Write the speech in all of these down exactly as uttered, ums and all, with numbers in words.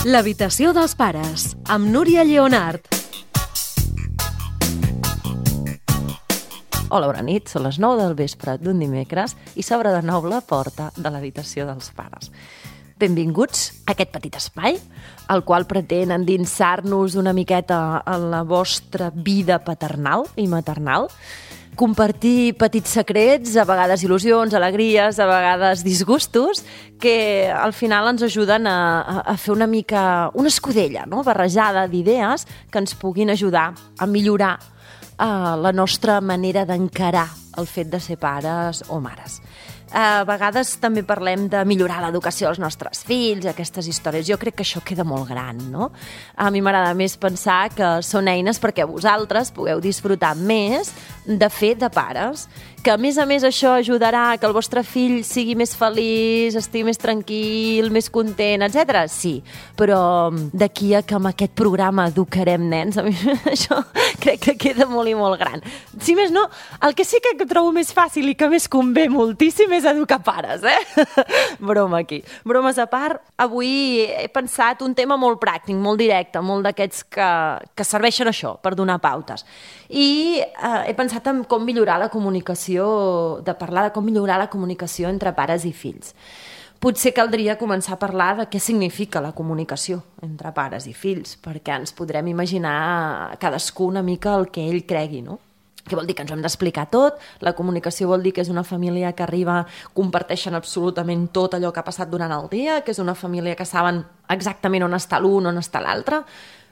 L'habitació dels pares, amb Núria Lleonart. Hola, bona nit, són les nou del vespre d'un dimecres i s'obre de nou la porta de l'habitació dels pares. Benvinguts a aquest petit espai, el qual pretén endinsar-nos una miqueta en la vostra vida paternal i maternal, compartir petits secrets, a vegades il·lusions, alegries, a vegades disgustos, que al final ens ajuden a, a fer una mica una escudella, no? barrejada d'idees que ens puguin ajudar a millorar uh, la nostra manera d'encarar el fet de ser pares o mares. A vegades també parlem de millorar l'educació dels nostres fills, aquestes històries. Jo crec que això queda molt gran, no? A mi m'agrada més pensar que són eines perquè vosaltres pugueu disfrutar més de fer de pares, que a més a més això ajudarà que el vostre fill sigui més feliç, estigui més tranquil, més content, etcètera. Sí, però d'aquí a que amb aquest programa educarem nens, a mi això crec que queda molt i molt gran. Si més no, el que sí que trobo més fàcil i que més convé moltíssim és educar pares, eh? Broma aquí. Bromes a part, avui he pensat un tema molt pràctic, molt directe, molt d'aquests que, que serveixen això, per donar pautes. I eh, he pensat en com millorar la comunicació, de parlar de com millorar la comunicació entre pares i fills. Potser caldria començar a parlar de què significa la comunicació entre pares i fills, perquè ens podrem imaginar cadascú una mica el que ell cregui, no? Què vol dir? Que ens ho hem d'explicar tot. La comunicació vol dir que és una família que arriba, comparteixen absolutament tot allò que ha passat durant el dia, que és una família que saben exactament on està l'un, on està l'altre.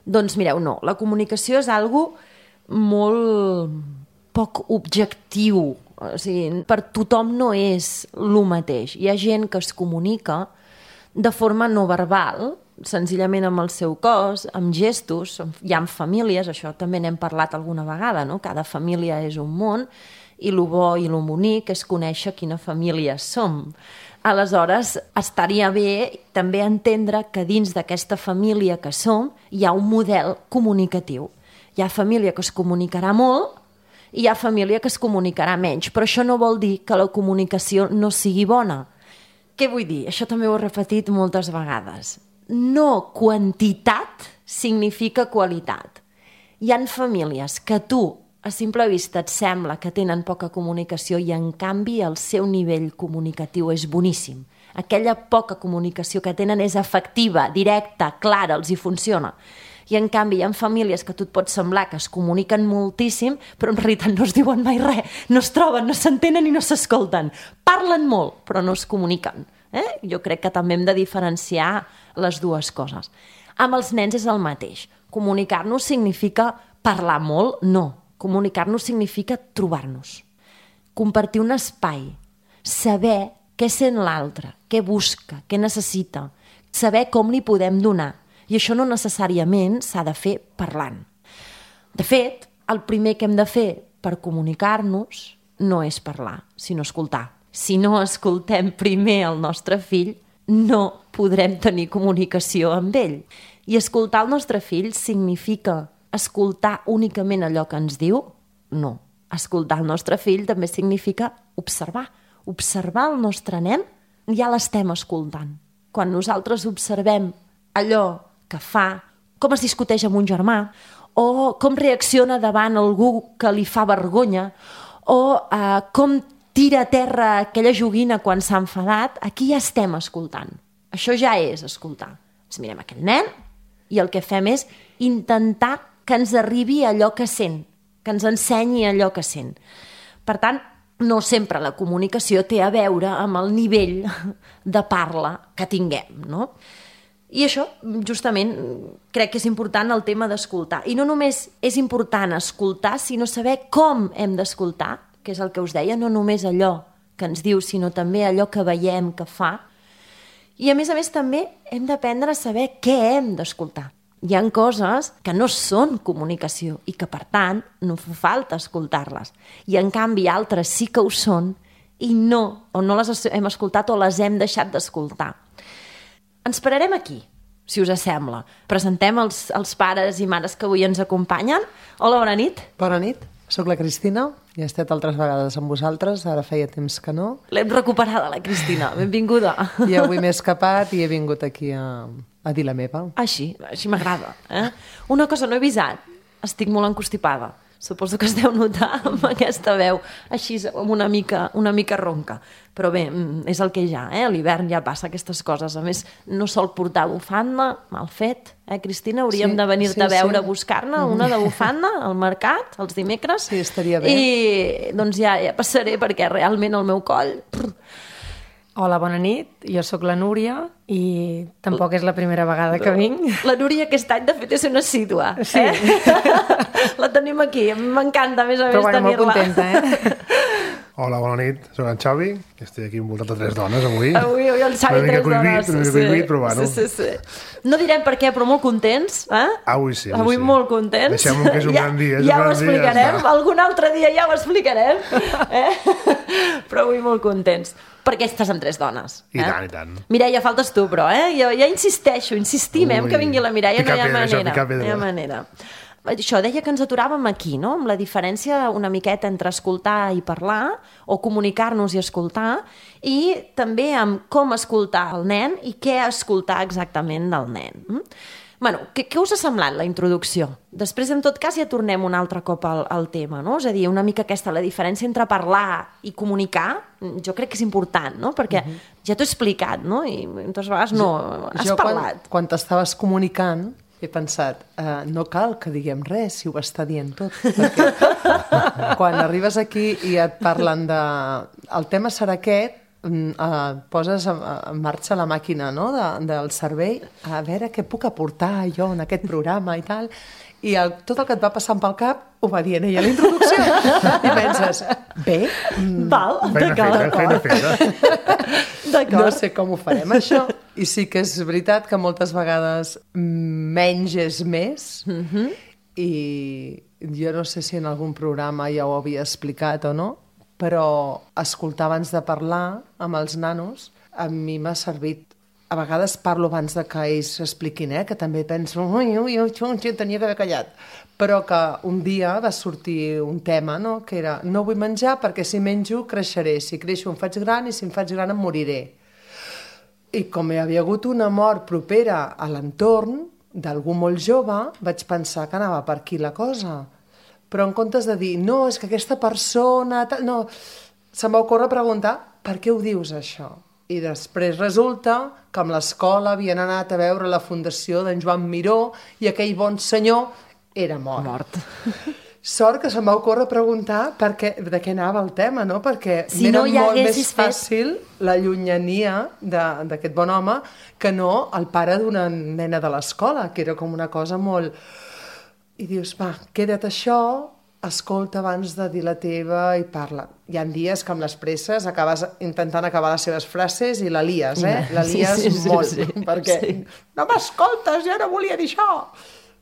Doncs mireu, no. La comunicació és algo molt poc objectiu. O sigui, per tothom no és el mateix. Hi ha gent que es comunica de forma no verbal, senzillament amb el seu cos, amb gestos. Hi ha famílies, això també n'hem parlat alguna vegada, no? Cada família és un món i el bo i el bonic és conèixer quina família som. Aleshores, estaria bé també entendre que dins d'aquesta família que som hi ha un model comunicatiu. Hi ha família que es comunicarà molt i hi ha família que es comunicarà menys, però això no vol dir que la comunicació no sigui bona. Què vull dir? Això també ho he repetit moltes vegades. No quantitat significa qualitat. Hi ha famílies que tu, a simple vista, et sembla que tenen poca comunicació i, en canvi, el seu nivell comunicatiu és boníssim. Aquella poca comunicació que tenen és efectiva, directa, clara, els hi funciona. I, en canvi, hi ha famílies que a tu et pot semblar que es comuniquen moltíssim, però en realitat no es diuen mai res, no es troben, no s'entenen i no s'escolten. Parlen molt, però no es comuniquen. Eh? Jo crec que també hem de diferenciar les dues coses. Amb els nens és el mateix. Comunicar-nos significa parlar molt? No. Comunicar-nos significa trobar-nos. Compartir un espai. Saber què sent l'altre, què busca, què necessita. Saber com li podem donar. I això no necessàriament s'ha de fer parlant. De fet, el primer que hem de fer per comunicar-nos no és parlar, sinó escoltar. Si no escoltem primer el nostre fill, no podrem tenir comunicació amb ell. I escoltar el nostre fill significa escoltar únicament allò que ens diu? No. Escoltar el nostre fill també significa observar. Observar el nostre nen, ja l'estem escoltant. Quan nosaltres observem allò que fa, com es discuteix amb un germà, o com reacciona davant algú que li fa vergonya, o eh, com tira a terra aquella joguina quan s'ha enfadat, aquí ja estem escoltant. Això ja és escoltar. Ens mirem aquell nen i el que fem és intentar que ens arribi allò que sent, que ens ensenyi allò que sent. Per tant, no sempre la comunicació té a veure amb el nivell de parla que tinguem, no? I això, justament, crec que és important el tema d'escoltar. I no només és important escoltar, sinó saber com hem d'escoltar, que és el que us deia, no només allò que ens diu, sinó també allò que veiem que fa. I, a més a més, també hem d'aprendre a saber què hem d'escoltar. Hi ha coses que no són comunicació i que, per tant, no fa falta escoltar-les. I, en canvi, altres sí que ho són i no, o no les hem escoltat o les hem deixat d'escoltar. Ens pararem aquí, si us sembla. Presentem els, els pares i mares que avui ens acompanyen. Hola, bona nit. Bona nit, soc la Cristina i he estat altres vegades amb vosaltres, ara feia temps que no. L'hem recuperada, la Cristina, benvinguda. I avui m'he escapat i he vingut aquí a, a dir la meva. Així, així m'agrada. Eh? Una cosa, no he avisat. Estic molt encostipada. Suposo que es deu notar amb aquesta veu així, amb una mica, una mica ronca. Però bé, és el que hi ha, eh? A l'hivern ja passa aquestes coses. A més, no sol portar bufanda, mal fet. Eh, Cristina? Hauríem Sí, de venir-te sí, a veure sí. a buscar-ne una de bufanda al mercat, els dimecres. Sí, estaria bé. I doncs ja, ja passaré, perquè realment el meu coll... Prr, Hola, bona nit. Jo sóc la Núria i tampoc és la primera vegada que vinc. La Núria aquest any, de fet, és una assídua. Sí. Eh? La tenim aquí. M'encanta, a més a més, Però bueno, molt tenir-la. contenta, eh? Hola, bona nit. Soc en Xavi. Estic aquí envoltat de tres dones avui. Avui, avui el Xavi Una mica tres cohibit, dones. una mica cohibit, però bueno. Sí, sí, sí. No direm per què, però molt contents. Eh? Avui sí, avui Avui sí. molt contents. Deixem-ho que és un ja, gran dia, és ja un ho gran dia, ja explicarem. està. Algun altre dia ja ho explicarem. Eh? Però avui molt contents. Perquè estàs amb tres dones. I eh? tant, i tant. Mireia, faltes tu, però, eh? Jo ja insisteixo, insistim, eh? Ui, Que vingui la Mireia, no picar hi ha pedra, això, manera. picar pedra. No hi ha manera. Això, deia que ens aturàvem aquí, no? Amb la diferència una miqueta entre escoltar i parlar, o comunicar-nos i escoltar, i també amb com escoltar el nen i què escoltar exactament del nen. Mm? Bueno, què, què us ha semblat la introducció? Després, en tot cas, ja tornem un altre cop al, al tema, no? És a dir, una mica aquesta, la diferència entre parlar i comunicar, jo crec que és important, no? Perquè uh-huh. ja t'ho he explicat, no? I moltes vegades no, has jo parlat. Quan, quan t'estaves comunicant he pensat, uh, no cal que diguem res si ho està dient tot. Perquè quan arribes aquí i et parlen de... El tema serà aquest, Uh, poses en, en marxa la màquina, no? de, del cervell, a veure què puc aportar jo en aquest programa i tal, i el, tot el que et va passant pel cap ho va dient ella a la introducció i penses, bé mm, Val, Feina feta, feina feta. d'acord. no sé com ho farem això, i sí que és veritat que moltes vegades menys és més, mm-hmm. i jo no sé si en algun programa ja ho havia explicat o no, però escoltar abans de parlar amb els nanos a mi m'ha servit. A vegades parlo abans de que ells expliquin, eh? Que també penso, ui, ui, ui, ui, tenia que haver callat. Però que un dia va sortir un tema, no? Que era, no vull menjar perquè si menjo creixeré, si creixo em faig gran i si em faig gran em moriré. I com hi havia hagut una mort propera a l'entorn d'algú molt jove, vaig pensar que anava per aquí la cosa. Però en comptes de dir, no, és que aquesta persona... No, se'm va ocórrer preguntar, per què ho dius, això? I després resulta que amb l'escola havien anat a veure la fundació d'en Joan Miró i aquell bon senyor era mort. Mort. Sort que se'm va ocórrer preguntar per què, de què anava el tema, no? Perquè Si m'era no hi molt més haguessis fet- fàcil la llunyania de- d'aquest bon home que no el pare d'una nena de l'escola, que era com una cosa molt... I dius, va, queda't això, escolta abans de dir la teva i parla. Hi ha dies que amb les presses acabes intentant acabar les seves frases i la lies, eh? La Sí, lies sí, sí, molt, sí, perquè sí. no m'escoltes, jo no volia dir això.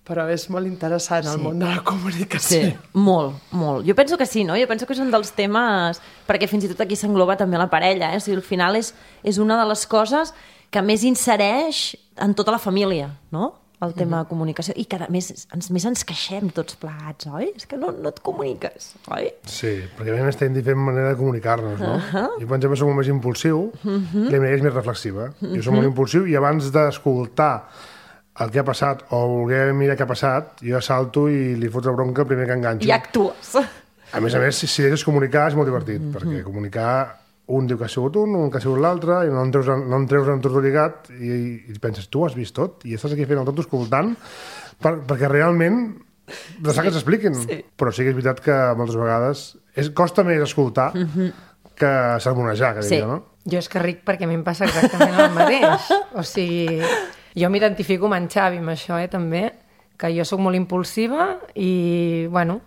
Però és molt interessant el Sí. món de la comunicació. Sí, molt, molt. Jo penso que sí, no? Jo penso que és un dels temes... Perquè fins i tot aquí s'engloba també la parella, eh? O sigui, al final és, és una de les coses que més insereix en tota la família, no? El tema de comunicació. I que, a més, ens, més ens queixem tots plegats, oi? És que no, no et comuniques, oi? Sí, perquè a més estem diferent manera de comunicar-nos, no? Uh-huh. Jo, per exemple, soc molt més impulsiu, uh-huh. la Mireia és més reflexiva. Uh-huh. Jo soc molt impulsiu i abans d'escoltar el que ha passat o voler mirar què ha passat, jo salto i li foto la bronca el primer que enganxo. I actues. A més a més, si, si deixes comunicar és molt divertit, uh-huh. perquè comunicar... Un diu que ha sigut un, un que ha sigut l'altre, i no en treus, no en treus en tot lligat, i, i penses, tu has vist tot, i estàs aquí fent el tot escoltant, per, perquè realment de sí, que s'expliquin. Sí. Però sí que és veritat que moltes vegades és, costa més escoltar uh-huh. que sermonejar, que Sí. diria, no? Jo és que ric perquè a mi em passa exactament el mateix. O sigui, jo m'identifico amb en Xavi, amb això, eh, també, que jo sóc molt impulsiva i, bueno,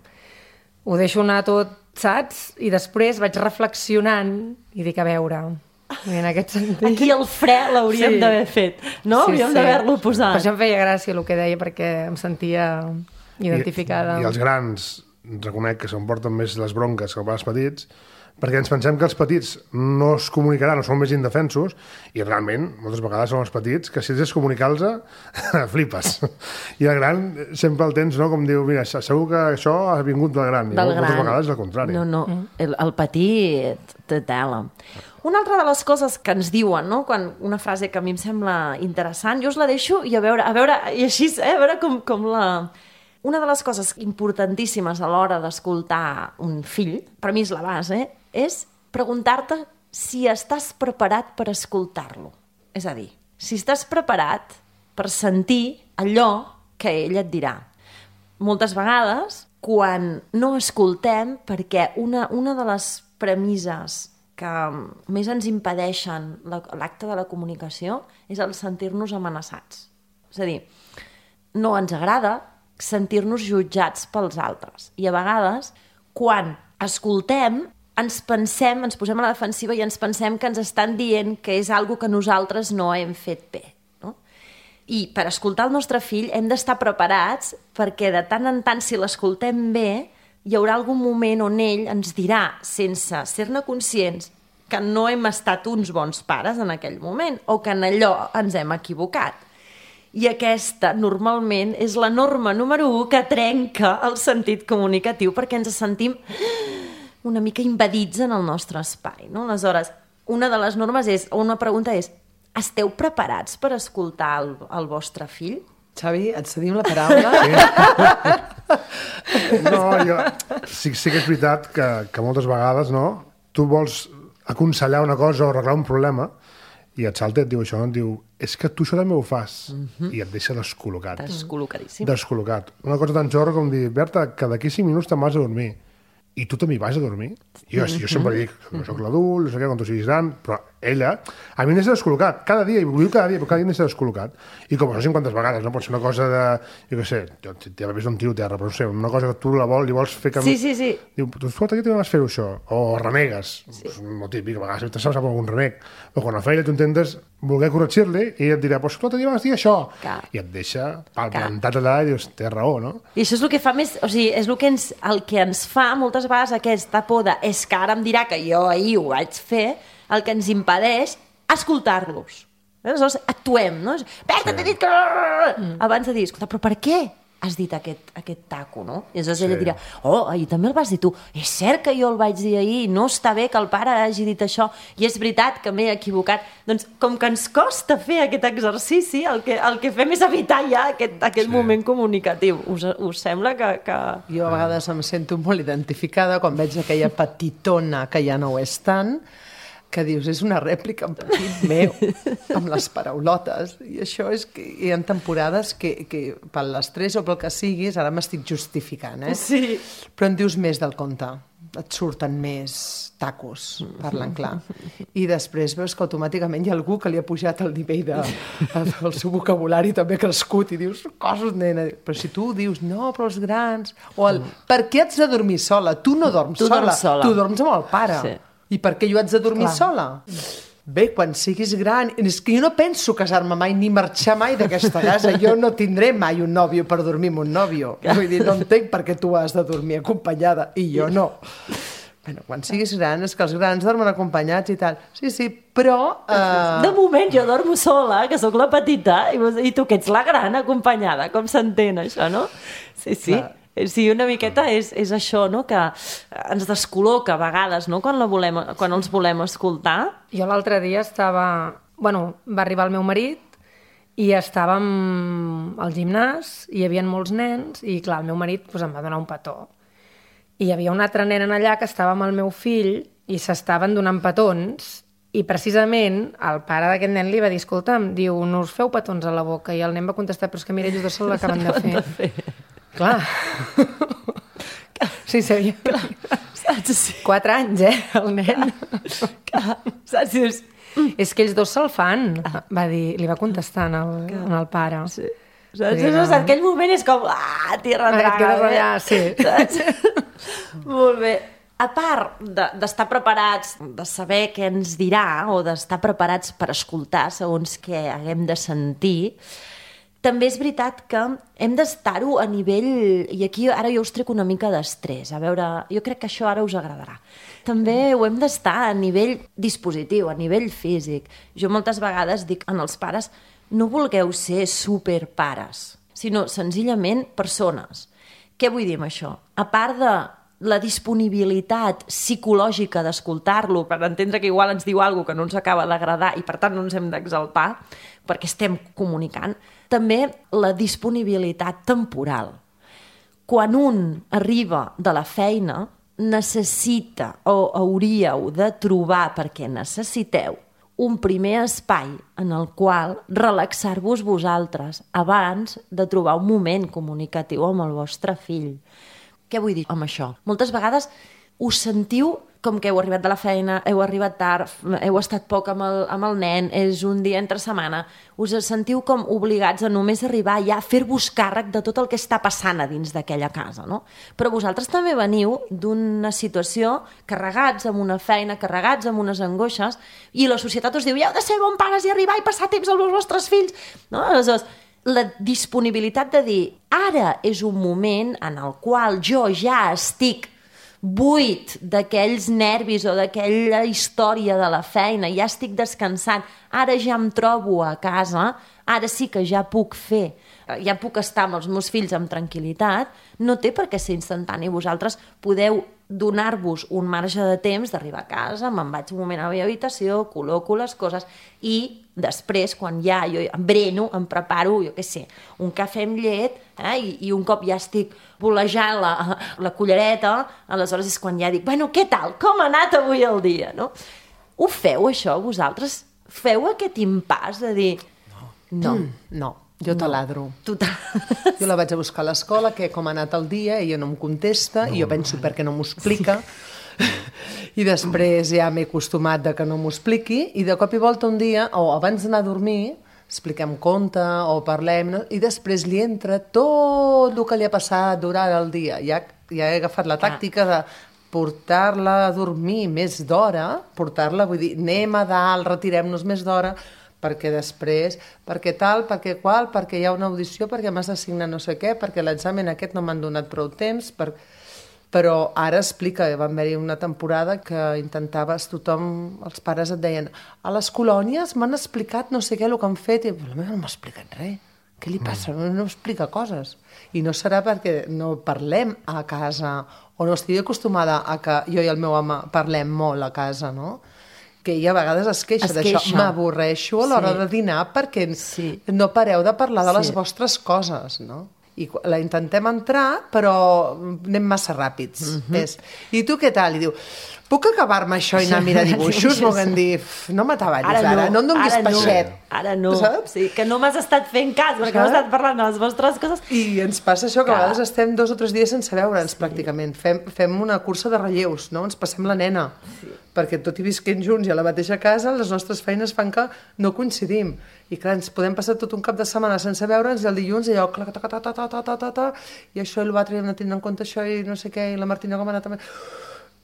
ho deixo anar tot, saps? I després vaig reflexionant i dic, a veure, en aquest sentit... Aquí el fre l'hauríem Sí. d'haver fet, no? Sí, Hauríem sí. d'haver-lo posat. Per això em feia gràcia el que deia, perquè em sentia identificada. I, I els grans, reconec que s'emporten més les bronques que els petits, perquè ens pensem que els petits no es comunicaran o són més indefensos, i realment, moltes vegades són els petits que si has de comunicar-los, flipes. I el gran sempre el tens, no? Com diu, mira, segur que això ha vingut del gran, i Del moltes gran. vegades és el contrari. No, no, el, el petit té tela. Una altra de les coses que ens diuen, no? Quan, una frase que a mi em sembla interessant, jo us la deixo i a veure, a veure i així, eh? A veure com, com la... Una de les coses importantíssimes a l'hora d'escoltar un fill, per mi és la base, és preguntar-te si estàs preparat per escoltar-lo. És a dir, si estàs preparat per sentir allò que ell et dirà. Moltes vegades, quan no escoltem, perquè una, una de les premisses que més ens impedeixen l'acte de la comunicació és el sentir-nos amenaçats. És a dir, no ens agrada sentir-nos jutjats pels altres. I a vegades, quan escoltem, ens pensem, ens posem a la defensiva i ens pensem que ens estan dient que és algo que nosaltres no hem fet bé. No? I per escoltar el nostre fill hem d'estar preparats perquè de tant en tant, si l'escoltem bé, hi haurà algun moment on ell ens dirà, sense ser-ne conscients, que no hem estat uns bons pares en aquell moment o que en allò ens hem equivocat. I aquesta, normalment, és la norma número u que trenca el sentit comunicatiu perquè ens sentim una mica invadits en el nostre espai. No? Aleshores, una de les normes és, o una pregunta és, esteu preparats per escoltar el, el vostre fill? Xavi, et cedim la paraula. Sí. No, jo... Sí, sí que és veritat que, que moltes vegades, no? Tu vols aconsellar una cosa o arreglar un problema i et salta i et diu això, no? Et diu, és que tu això també ho fas. Mm-hmm. I et deixa descol·locat. Descol·locadíssim. Descol·locat. Una cosa tan xorra com dir, Berta, que d'aquí cinc minuts te'n vas a dormir. I tu també hi vas a dormir? Jo, jo sempre dic, no soc l'adult, no sé què, quan tu siguis gran, però ella, a mi em deixa descol·locat, cada dia, i ho diu cada dia, però cada dia em deixa descol·locat. I com no sé quantes vegades, no? Pot ser una cosa de, jo què sé, t'ha vist un tiro a terra, però no sé, una cosa que tu la vols i vols fer que... Sí, sí, sí. Diu, tu escolta, què t'hi vas fer això? O renegues, sí. És molt típic, a vegades te saps algun reneg. O quan a feina tu intentes voler corregir-li i ella et dirà, pues escolta, t'hi vas dir això. Clar. I et deixa palplantat allà i dius, té raó, no? I això és el que fa més, o sigui, és el que ens, el que ens fa moltes vegades aquesta por de, és que ara em dirà que jo ahir ho vaig fer, el que ens impedeix escoltar-los. Aleshores, actuem, no? Berta, sí. T'he dit que... Mm. Abans de dir, escolta, però per què has dit aquest, aquest taco, no? I aleshores sí. Ella dirà, oh, ahir també el vas dir tu. És cert que jo el vaig dir ahir, no està bé que el pare hagi dit això, i és veritat que m'he equivocat. Doncs, com que ens costa fer aquest exercici, el que, el que fem és evitar ja aquest, aquest sí. moment comunicatiu. Us, us sembla que, que... Jo a vegades em sento molt identificada quan veig aquella petitona que ja no ho és tant, que dius, és una rèplica en petit meu, amb les paraulotes, i això és que hi ha temporades que, que per l'estrès o pel que siguis, ara m'estic justificant, eh? Sí. Però en dius més del compte, et surten més tacos, parlant clar. I després veus que automàticament hi ha algú que li ha pujat el nivell de, el seu vocabulari també ha crescut i dius, coses, nena. Però si tu dius, no, però els grans... O el, per què haig de dormir sola? Tu no dorms tu sola, dorms sola, tu dorms amb el pare. Sí. I per què jo haig de dormir clar. Sola? Bé, quan siguis gran... És que jo no penso casar-me mai ni marxar mai d'aquesta casa. Jo no tindré mai un nòvio per dormir amb un nòvio. Vull dir, no entenc per què tu has de dormir acompanyada i jo no. Bueno, quan siguis gran, és que els grans dormen acompanyats i tal. Sí, sí, però... Uh... De moment jo dormo sola, que sóc la petita, i, i tu que ets la gran acompanyada. Com s'entén això, no? Sí, sí. Clar. Sí, una miqueta és, és això, no? Que ens descol·loca a vegades, no? Quan, la volem, quan els volem escoltar. Jo l'altre dia estava... Bueno, va arribar el meu marit i estàvem al gimnàs i hi havia molts nens i, clar, el meu marit pues, em va donar un petó. I hi havia una altra nena allà que estava amb el meu fill i s'estaven donant petons i precisament el pare d'aquest nen li va dir, escolta'm, diu, no us feu petons a la boca, i el nen va contestar, però és que mira, ells dos se l'acaben de fer. De fer. Clar. Sí, sabia. Clar. Saps? Sí. Quatre anys, eh, el nen. Clar. Saps? Dius... És que ells dos se'l fan, va dir, li va contestar en el, en el pare. Sí. Saps? Sí, no. En aquell moment és com, ah, tierra draga. Et quedes allà, sí. Saps? Molt bé. A part d'estar de, preparats, de saber què ens dirà, o d'estar preparats per escoltar segons què haguem de sentir, també és veritat que hem d'estar-ho a nivell... I aquí ara jo us trec una mica d'estrès. A veure, jo crec que això ara us agradarà. També ho hem d'estar a nivell dispositiu, a nivell físic. Jo moltes vegades dic en els pares, no vulgueu ser superpares, sinó senzillament persones. Què vull dir amb això? A part de la disponibilitat psicològica d'escoltar-lo per entendre que igual ens diu alguna cosa que no ens acaba d'agradar i per tant no ens hem d'exaltar perquè estem comunicant. També la disponibilitat temporal. Quan un arriba de la feina necessita o hauríeu de trobar, perquè necessiteu, un primer espai en el qual relaxar-vos vosaltres abans de trobar un moment comunicatiu amb el vostre fill. Què vull dir amb això? Moltes vegades us sentiu com que heu arribat de la feina, heu arribat tard, heu estat poc amb el, amb el nen, és un dia entre setmana, us sentiu com obligats a només arribar ja a fer-vos càrrec de tot el que està passant a dins d'aquella casa, no? Però vosaltres també veniu d'una situació carregats amb una feina, carregats amb unes angoixes, i la societat us diu, ja heu de ser bon pares i arribar i passar temps amb els vostres fills, no? Aleshores, la disponibilitat de dir, ara és un moment en el qual jo ja estic buit d'aquells nervis o d'aquella història de la feina, ja estic descansant, ara ja em trobo a casa, ara sí que ja puc fer, ja puc estar amb els meus fills amb tranquil·litat, no té per què ser instantani. Vosaltres podeu donar-vos un marge de temps d'arribar a casa, me'n vaig un moment a la meva habitació, col·loco les coses i després, quan ja jo em breno, em preparo, jo què sé, un cafè amb llet, eh, i, i un cop ja estic bolejant la, la cullereta, aleshores és quan ja dic, bueno, què tal? Com ha anat avui el dia? No? Ho feu, això, vosaltres? Feu aquest impàs de dir... No. No. Mm, no. Jo no. taladro. Tu ta... Jo la vaig a buscar a l'escola, que com ha anat el dia, ella no em contesta, no. I jo penso perquè no m'ho explica, i després ja m'he acostumat de que no m'ho expliqui, i de cop i volta un dia, o abans d'anar a dormir, expliquem conte o parlem, no? I després li entra tot el que li ha passat durant el dia. Ja, ja he agafat la tàctica de portar-la a dormir més d'hora, portar-la, vull dir, anem a dalt, retirem-nos més d'hora, perquè després, perquè tal, perquè qual, perquè hi ha una audició, perquè m'has d'assignar no sé què, perquè l'examen aquest no m'han donat prou temps, per... però ara explica, va haver-hi una temporada que intentaves, tothom, els pares et deien, a les colònies m'han explicat no sé què el que han fet, i la meva no m'ha explicat res, què li passa? No, no explica coses. I no serà perquè no parlem a casa, o no estigui acostumada a que jo i el meu home parlem molt a casa, no? Que ella a vegades es queixa d'això. M'avorreixo a l'hora sí. de dinar perquè sí. no pareu de parlar de les sí. vostres coses, no? I la intentem entrar, però anem massa ràpids. Mm-hmm. És, i tu què tal? I diu, puc acabar-me això i anar a mirar dibuixos? Volguem dir, no m'ataballis ara, ara, no, no em donis peixet. No. Ara no, sí, que no m'has estat fent cas, perquè m'has estat parlant de les vostres coses. I ens passa això, que a vegades estem dos o tres dies sense veure'ns, sí. pràcticament. Fem, fem una cursa de relleus, no? Ens passem la nena. Sí. Perquè tot i visquent junts i a la mateixa casa, les nostres feines fan que no coincidim. I clar, ens podem passar tot un cap de setmana sense veure'ns i el dilluns allò, ta, ta, ta, ta, ta, ta, ta, ta, i això i l'altre, no tenint en compte això i no sé què, i la Martina com ha anat també.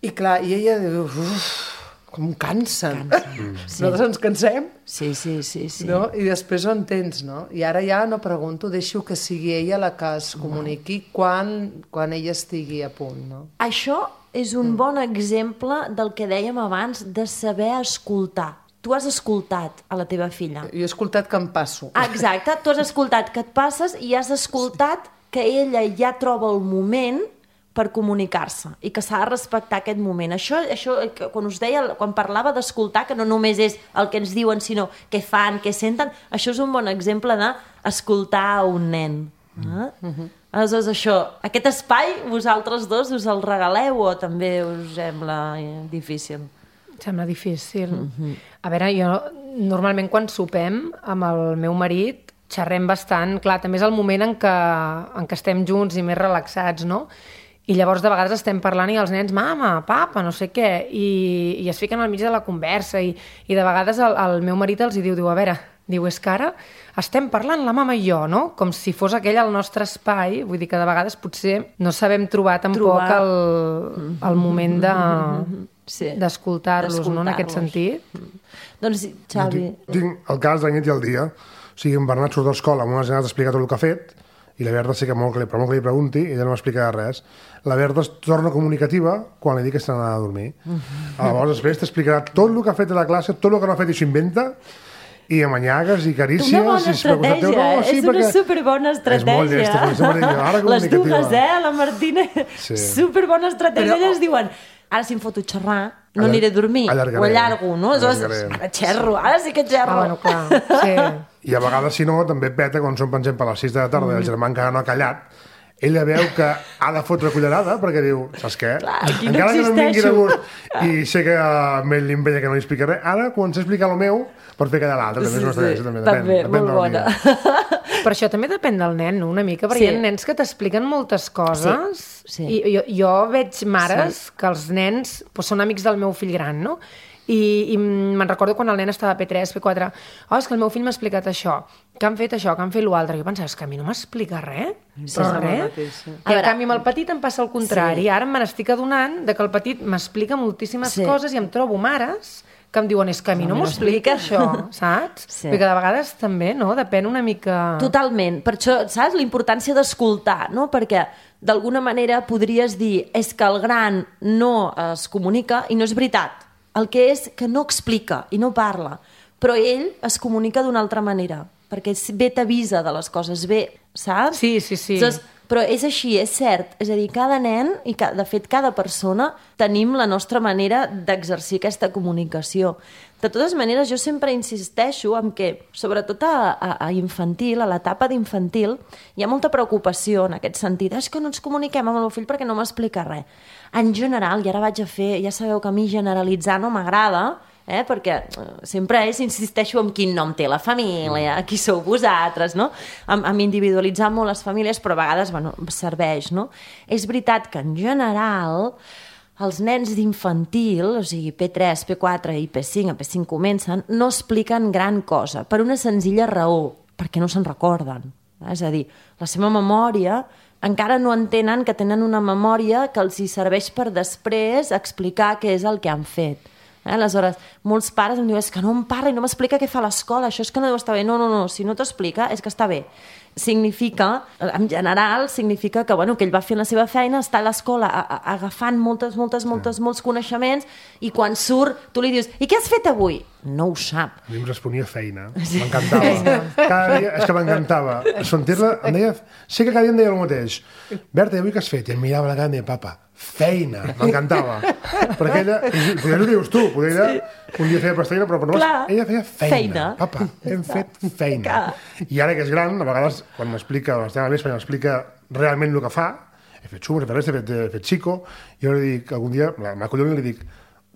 I clar, i ella diu, uf, com cansen. cansen. Sí. Nosaltres ens cansem. Sí, sí, sí. sí. No? I després ho entens, no? I ara ja no pregunto, deixo que sigui ella la que es comuniqui quan, quan ella estigui a punt, no? Això és un bon exemple del que dèiem abans de saber escoltar. Tu has escoltat a la teva filla. Jo he escoltat que em passo. Ah, exacte, tu has escoltat que et passes i has escoltat que ella ja troba el moment per comunicar-se i que s'ha de respectar aquest moment. Això, això quan us deia, quan parlava d'escoltar, que no només és el que ens diuen, sinó què fan, què senten, això és un bon exemple d'escoltar a un nen. Eh? Mm-hmm. Aleshores, això, aquest espai, vosaltres dos us el regaleu o també us sembla difícil? Sembla difícil. Mm-hmm. A veure, jo normalment quan sopem amb el meu marit xerrem bastant, clar, també és el moment en què, en què estem junts i més relaxats, no? I llavors de vegades estem parlant i els nens, mama, papa, no sé què, i, i es fiquen al mig de la conversa i, i de vegades el, el meu marit els hi diu, diu, a veure, diu, és que ara estem parlant la mama i jo, no? Com si fos aquell el nostre espai, vull dir que de vegades potser no sabem trobar tampoc trobar... El, el moment de, sí. d'escoltar-los, no? En aquest sentit. Doncs, Xavi... Tinc el cas de la nit i el dia. O sigui, en Bernat surt de l'escola amb unes ganes d'explicar tot el que ha fet i la Berta sí que molt que li, però molt que li pregunti i ella no m'explica res. La Berta es torna comunicativa quan li dic que està anant a dormir. Uh-huh. Llavors després t'explicarà tot el que ha fet a la classe, tot el que no ha fet i s'ho inventa i amanyagues i carícies. Una bona i estratègia, no, eh? sí, És una superbona estratègia. És molt llesta, per això ara les dues, eh? La Martina, sí. superbona estratègia. Però... Elles diuen, ara si em foto a xerrar, no aniré a dormir, allargaré. Ho allargo, no? Aleshores, ara xerro, ara sí que xerro. Ah, bueno, clar, sí. I a vegades, si no, també peta, quan són, per exemple, a les sis de la tarda mm. i el germà encara no ha callat, ella veu que ha de fotre cullerada perquè diu, saps què? Clar, aquí no encara que no em vingui de existeixo. gust i sé que amb ell em veia que no li explica res, ara començo a explicar el meu per fer callar l'altre. Sí, també és una sí, estratègia, també, també, depèn, depèn molt bona. Però això també depèn del nen, no? Una mica, perquè Sí. hi ha nens que t'expliquen moltes coses Sí, sí. i jo, jo veig mares sí. que els nens doncs, són amics del meu fill gran, no? I, i me'n recordo quan el nen estava a P tres, P quatre, oh, és que el meu fill m'ha explicat això, que han fet això, que han fet l'altre. Jo pensava, és que a mi no m'explica res, Sí, però és el res. mateix, sí. I en canvi amb el petit em passa el contrari. Sí. Ara me n'estic adonant de que el petit m'explica moltíssimes Sí. coses i em trobo mares que em diuen, és que a mi no m'ho explica això, saps? Sí. Perquè de vegades també, no? Depèn una mica... Totalment. Per això, saps, la importància d'escoltar, no? Perquè d'alguna manera podries dir és que el gran no es comunica i no és veritat. El que és que no explica i no parla, però ell es comunica d'una altra manera, perquè bé t'avisa de les coses, bé, saps? Sí, sí, sí. Saps? Però és així, és cert. És a dir, cada nen, i ca- de fet cada persona, tenim la nostra manera d'exercir aquesta comunicació. De totes maneres, jo sempre insisteixo en que, sobretot a, a, a infantil, a l'etapa d'infantil, hi ha molta preocupació en aquest sentit. És que no ens comuniquem amb el meu fill perquè no m'explica res. En general, i ara vaig a fer, ja sabeu que a mi generalitzar no m'agrada, eh? Perquè sempre és, insisteixo en quin nom té la família, qui sou vosaltres, no? Amb, amb individualitzar molt les famílies, però a vegades, bueno, serveix, no? És veritat que en general els nens d'infantil, o sigui, P tres, P quatre i P cinc, a P cinc comencen, no expliquen gran cosa, per una senzilla raó, perquè no se'n recorden. És a dir, la seva memòria encara no entenen que tenen una memòria que els hi serveix per després explicar què és el que han fet. Eh? Aleshores, molts pares em diuen, és que no em parla i no m'explica què fa a l'escola, això és que no deu estar bé. No, no, no, si no t'explica és que està bé. Significa, en general, significa que, bueno, que ell va fent la seva feina, està a l'escola a- a- agafant moltes, moltes, moltes, molts coneixements i quan surt tu li dius, i què has fet avui? No ho sap. A mi em responia feina. M'encantava. Cada dia, és que m'encantava. Sentir-la, em deia... Sé que cada dia em deia el mateix. Berta, i avui què has fet? I em mirava la cara i em deia, papa, feina. M'encantava. Perquè ella... Potser ho dius tu. Potser ella un dia feia pastella, però, però Clar, ella feia feina. feina. Papa, hem fet feina. Clar. I ara que és gran, a vegades, quan m'explica, l'estem a més, quan m'explica realment el que fa, he fet xumos, he fet res, he fet, he fet xico, jo li dic, algun dia, m'acollonio i li dic,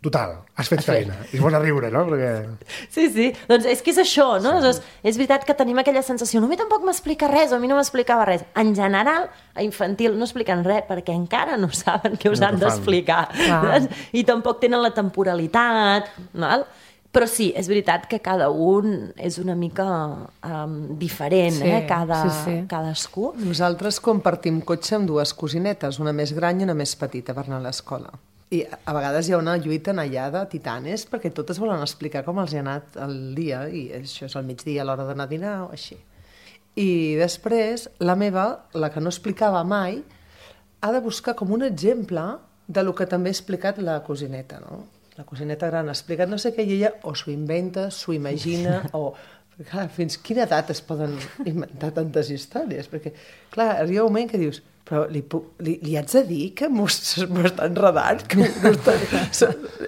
total, has fet feina. I es posa a riure, no? Perquè... Sí, sí, doncs és que és això, no? Sí. Doncs és veritat que tenim aquella sensació, no, a mi tampoc m'explica res, o a mi no m'explicava res. En general, a infantil no expliquen res, perquè encara no saben què us No han ho fan. d'explicar. Clar. I tampoc tenen la temporalitat, val? Però sí, és veritat que cada un és una mica um, diferent, Sí, eh? Cada, sí, sí. cadascú. Nosaltres compartim cotxe amb dues cosinetes, una més gran i una més petita per anar a l'escola. I a vegades hi ha una lluita allà de titanes perquè totes volen explicar com els hi ha anat el dia i això és al migdia a l'hora d'anar a dinar o així. I després la meva, la que no explicava mai, ha de buscar com un exemple de lo que també ha explicat la cosineta, no? La cosineta gran ha explicat no sé què i ella o s'ho inventa, s'ho imagina o... Clar, fins quina edat es poden inventar tantes històries? Perquè, clar, arriba un moment que dius però li, puc, li, li haig de dir que m'ho està enredant? Que m'ho està...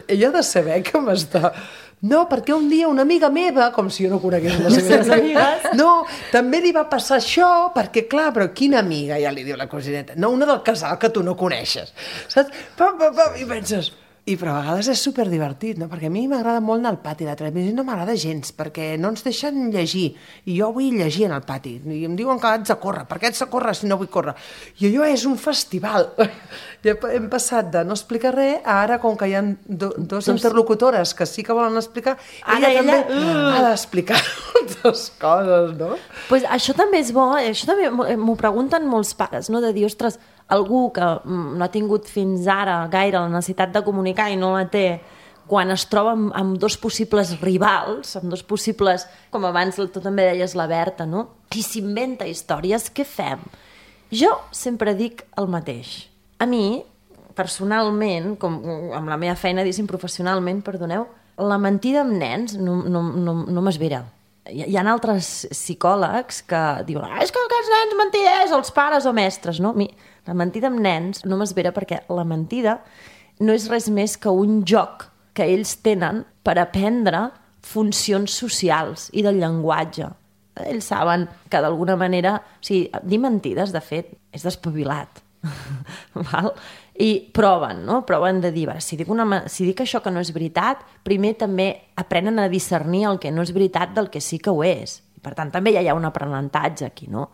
Ella ha de saber que m'està... No, perquè un dia una amiga meva, com si jo no conegués les seves amigues, no, també li va passar això, perquè clar, però quina amiga, ja li diu la cosineta, no, una del casal que tu no coneixes, saps? Pam, pam, pam, i penses... I però a vegades és superdivertit, no? Perquè a mi m'agrada molt anar al pati de televisió, no m'agrada gens, perquè no ens deixen llegir, i jo vull llegir en el pati, i em diuen que haig de córrer, per què haig de córrer si no vull córrer? I allò és un festival. I hem passat de no explicar res a ara, com que hi ha do, dos interlocutores que sí que volen explicar, Ara ella, ella, també uh. ha d'explicar moltes coses, no? Pues això també és bo, això també m'ho pregunten molts pares, no? De dir, ostres, algú que no ha tingut fins ara gaire la necessitat de comunicar i no la té, quan es troba amb, amb dos possibles rivals, amb dos possibles, com abans tu també deies la Berta, no? I s'inventa històries, què fem? Jo sempre dic el mateix. A mi, personalment, com amb la meva feina, diguéssim, professionalment, perdoneu, la mentida amb nens no, no, no, no m'esvera. hi, hi ha altres psicòlegs que diuen ah, és que aquests nens mentiders, els pares o mestres, no? Mi, la mentida amb nens no m'esvera perquè la mentida no és res més que un joc que ells tenen per aprendre funcions socials i del llenguatge. Ells saben que d'alguna manera... O sigui, dir mentides, de fet, és despavilat. Val? I proven, no? Proven de dir, si dic, una, si dic això que no és veritat, primer també aprenen a discernir el que no és veritat del que sí que ho és. Per tant, també ja hi ha un aprenentatge aquí, no?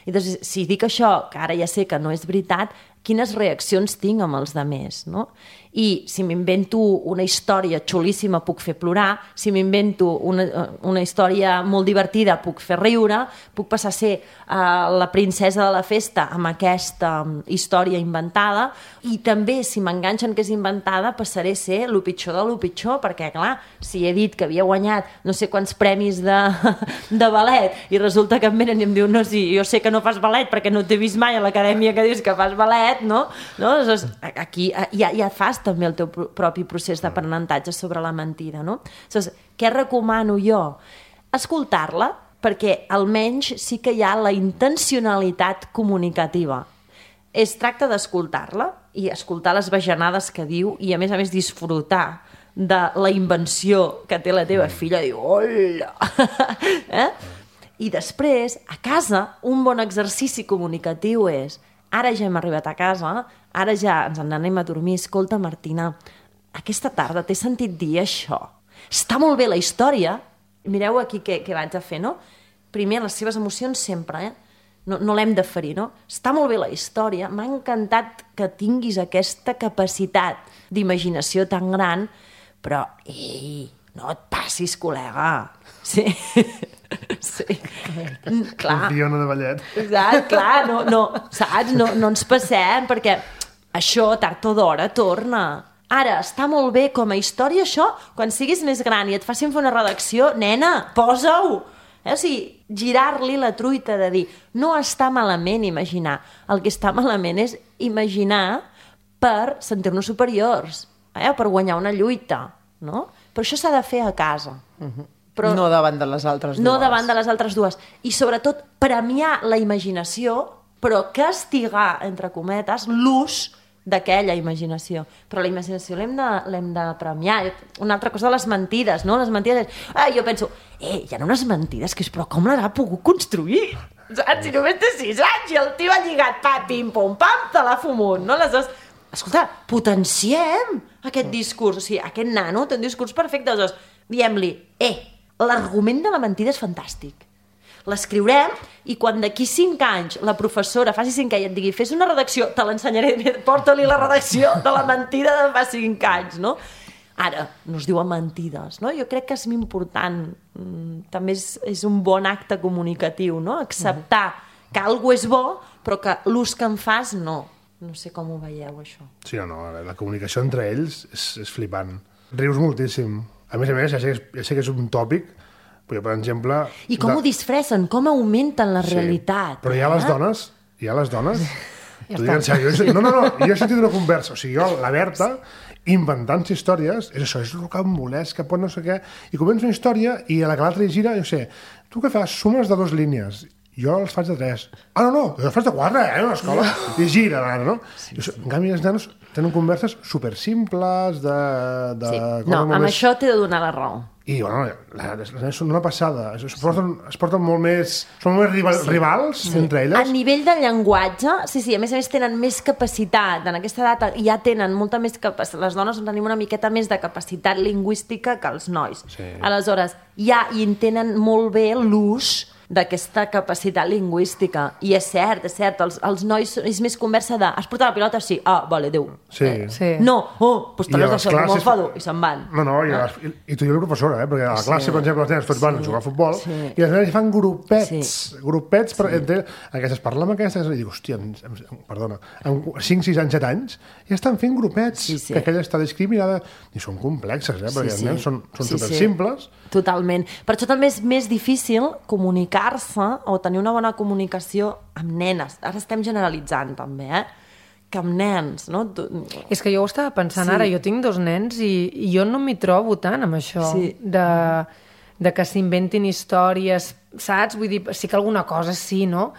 I doncs, si dic això, que ara ja sé que no és veritat, quines reaccions tinc amb els demés, no? I si m'invento una història xulíssima puc fer plorar, si m'invento una, una història molt divertida puc fer riure, puc passar a ser uh, la princesa de la festa amb aquesta um, història inventada, i també si m'enganxen que és inventada passaré a ser lo pitjor de lo pitjor, perquè clar, si he dit que havia guanyat no sé quants premis de, de ballet i resulta que em venen i em diu no, sí, jo sé que no fas ballet perquè no t'he vist mai a l'acadèmia que dius que fas ballet, no? no? Doncs aquí ja, ja fas també el teu propi procés d'aprenentatge sobre la mentida, no? Doncs, què recomano jo? Escoltar-la, perquè almenys sí que hi ha la intencionalitat comunicativa. Es tracta d'escoltar-la i escoltar les bajanades que diu i, a més a més, disfrutar de la invenció que té la teva filla. Diu, hola! eh? I després, a casa, un bon exercici comunicatiu és ara ja hem arribat a casa, ara ja ens n'anem a dormir, escolta, Martina, aquesta tarda t'he sentit dir això. Està molt bé la història. Mireu aquí què, què vaig a fer, no? Primer, les seves emocions sempre, eh? No, no l'hem de ferir, no? Està molt bé la història, m'ha encantat que tinguis aquesta capacitat d'imaginació tan gran, però, ei, no et passis, col·lega. Sí. Sí. Clar. Fiona de ballet. Exacte, clar, no, no, saps? No, no ens passem, perquè això tard o d'hora torna. Ara, està molt bé com a història això, quan siguis més gran i et facin fer una redacció, nena, posa-ho! Eh? O sigui, girar-li la truita de dir no està malament imaginar. El que està malament és imaginar per sentir-nos superiors, eh? Per guanyar una lluita, no? Però això s'ha de fer a casa. Uh-huh. Però no davant de les altres dues. No davant de les altres dues. I sobretot premiar la imaginació, però castigar, entre cometes, l'ús d'aquella imaginació. Però la imaginació l'hem de, l'hem de premiar. Una altra cosa de les mentides, no? Les mentides és... Ah, jo penso, eh, hi ha unes mentides que és, però com les ha pogut construir? Saps? Si només té sis anys i el tio ha lligat, pa, pim, pum, pam, te l'ha fumut, no? Aleshores, escolta, potenciem aquest discurs. O sigui, aquest nano té un discurs perfecte. Aleshores, diem-li, eh, l'argument de la mentida és fantàstic. L'escriurem i quan d'aquí cinc anys la professora faci cinc anys i et digui fes una redacció, te l'ensenyaré, porta-li la redacció de la mentida de fa cinc anys, no? Ara, no es diuen mentides, no? Jo crec que és important, també és, és un bon acte comunicatiu, no? Acceptar que alguna és bo, però que l'ús que en fas no. No sé com ho veieu, això. Sí, no, no, la comunicació entre ells és, és flipant. Rius moltíssim. A més a més, ja sé, ja sé que és un tòpic, però, per exemple... I com de... ho disfressen, com augmenten la sí, realitat. Però hi ha eh? les dones, hi ha les dones... Ja dic en sèrio, no, no, no, jo he sentit una conversa, o sigui, jo, la Berta, inventant històries, és això, és rocambolesc, que pot no sé què, i comença una història i a la que l'altra hi gira, jo sé, tu què fas? Sumes de dues línies. Jo els faig de tres. Ah, no, no, jo els faig de quatre, eh, a l'escola. I gira, l'ara, no? Sí, sí. En canvi, els nanos tenen converses supersimples, de... de sí. No, amb més... això t'he de donar la raó. I, bueno, les nanes són una passada. Es, es, porten, es porten molt més... Són molt més rival, sí. rivals sí. entre elles. A nivell de llenguatge, sí, sí, a més a més tenen més capacitat. En aquesta data ja tenen molta més capacitat. Les dones tenim una miqueta més de capacitat lingüística que els nois. Sí. Aleshores, ja hi tenen molt bé l'ús d'aquesta capacitat lingüística. I és cert, és cert, els, els nois és més conversa de has portat la pilota? Sí. Ah, vale, adéu. Sí. Eh, sí. No, oh, doncs te l'has deixat com enfado i se'n van. No, no, i, ah. les, i, i tu i la professora, eh? Perquè a la classe, sí. per exemple, els nens tots van sí. a jugar a futbol sí. i les nenes fan grupets, sí. grupets per, sí. entre, aquestes parlen amb aquestes i dic, hòstia, em, em, perdona, amb cinc, sis anys, set anys ja estan fent grupets, sí, sí. que aquella està discriminada i són complexes, eh? Perquè sí, els nens sí. són, són sí, supersimples. Sí. Totalment. Per això també és més difícil comunicar-se o tenir una bona comunicació amb nenes. Ara estem generalitzant també, eh? Que amb nens, no? Tu... És que jo ho estava pensant sí. ara, jo tinc dos nens i, i jo no m'hi trobo tant amb això sí. de... de que s'inventin històries, saps? Vull dir, sí que alguna cosa sí, no?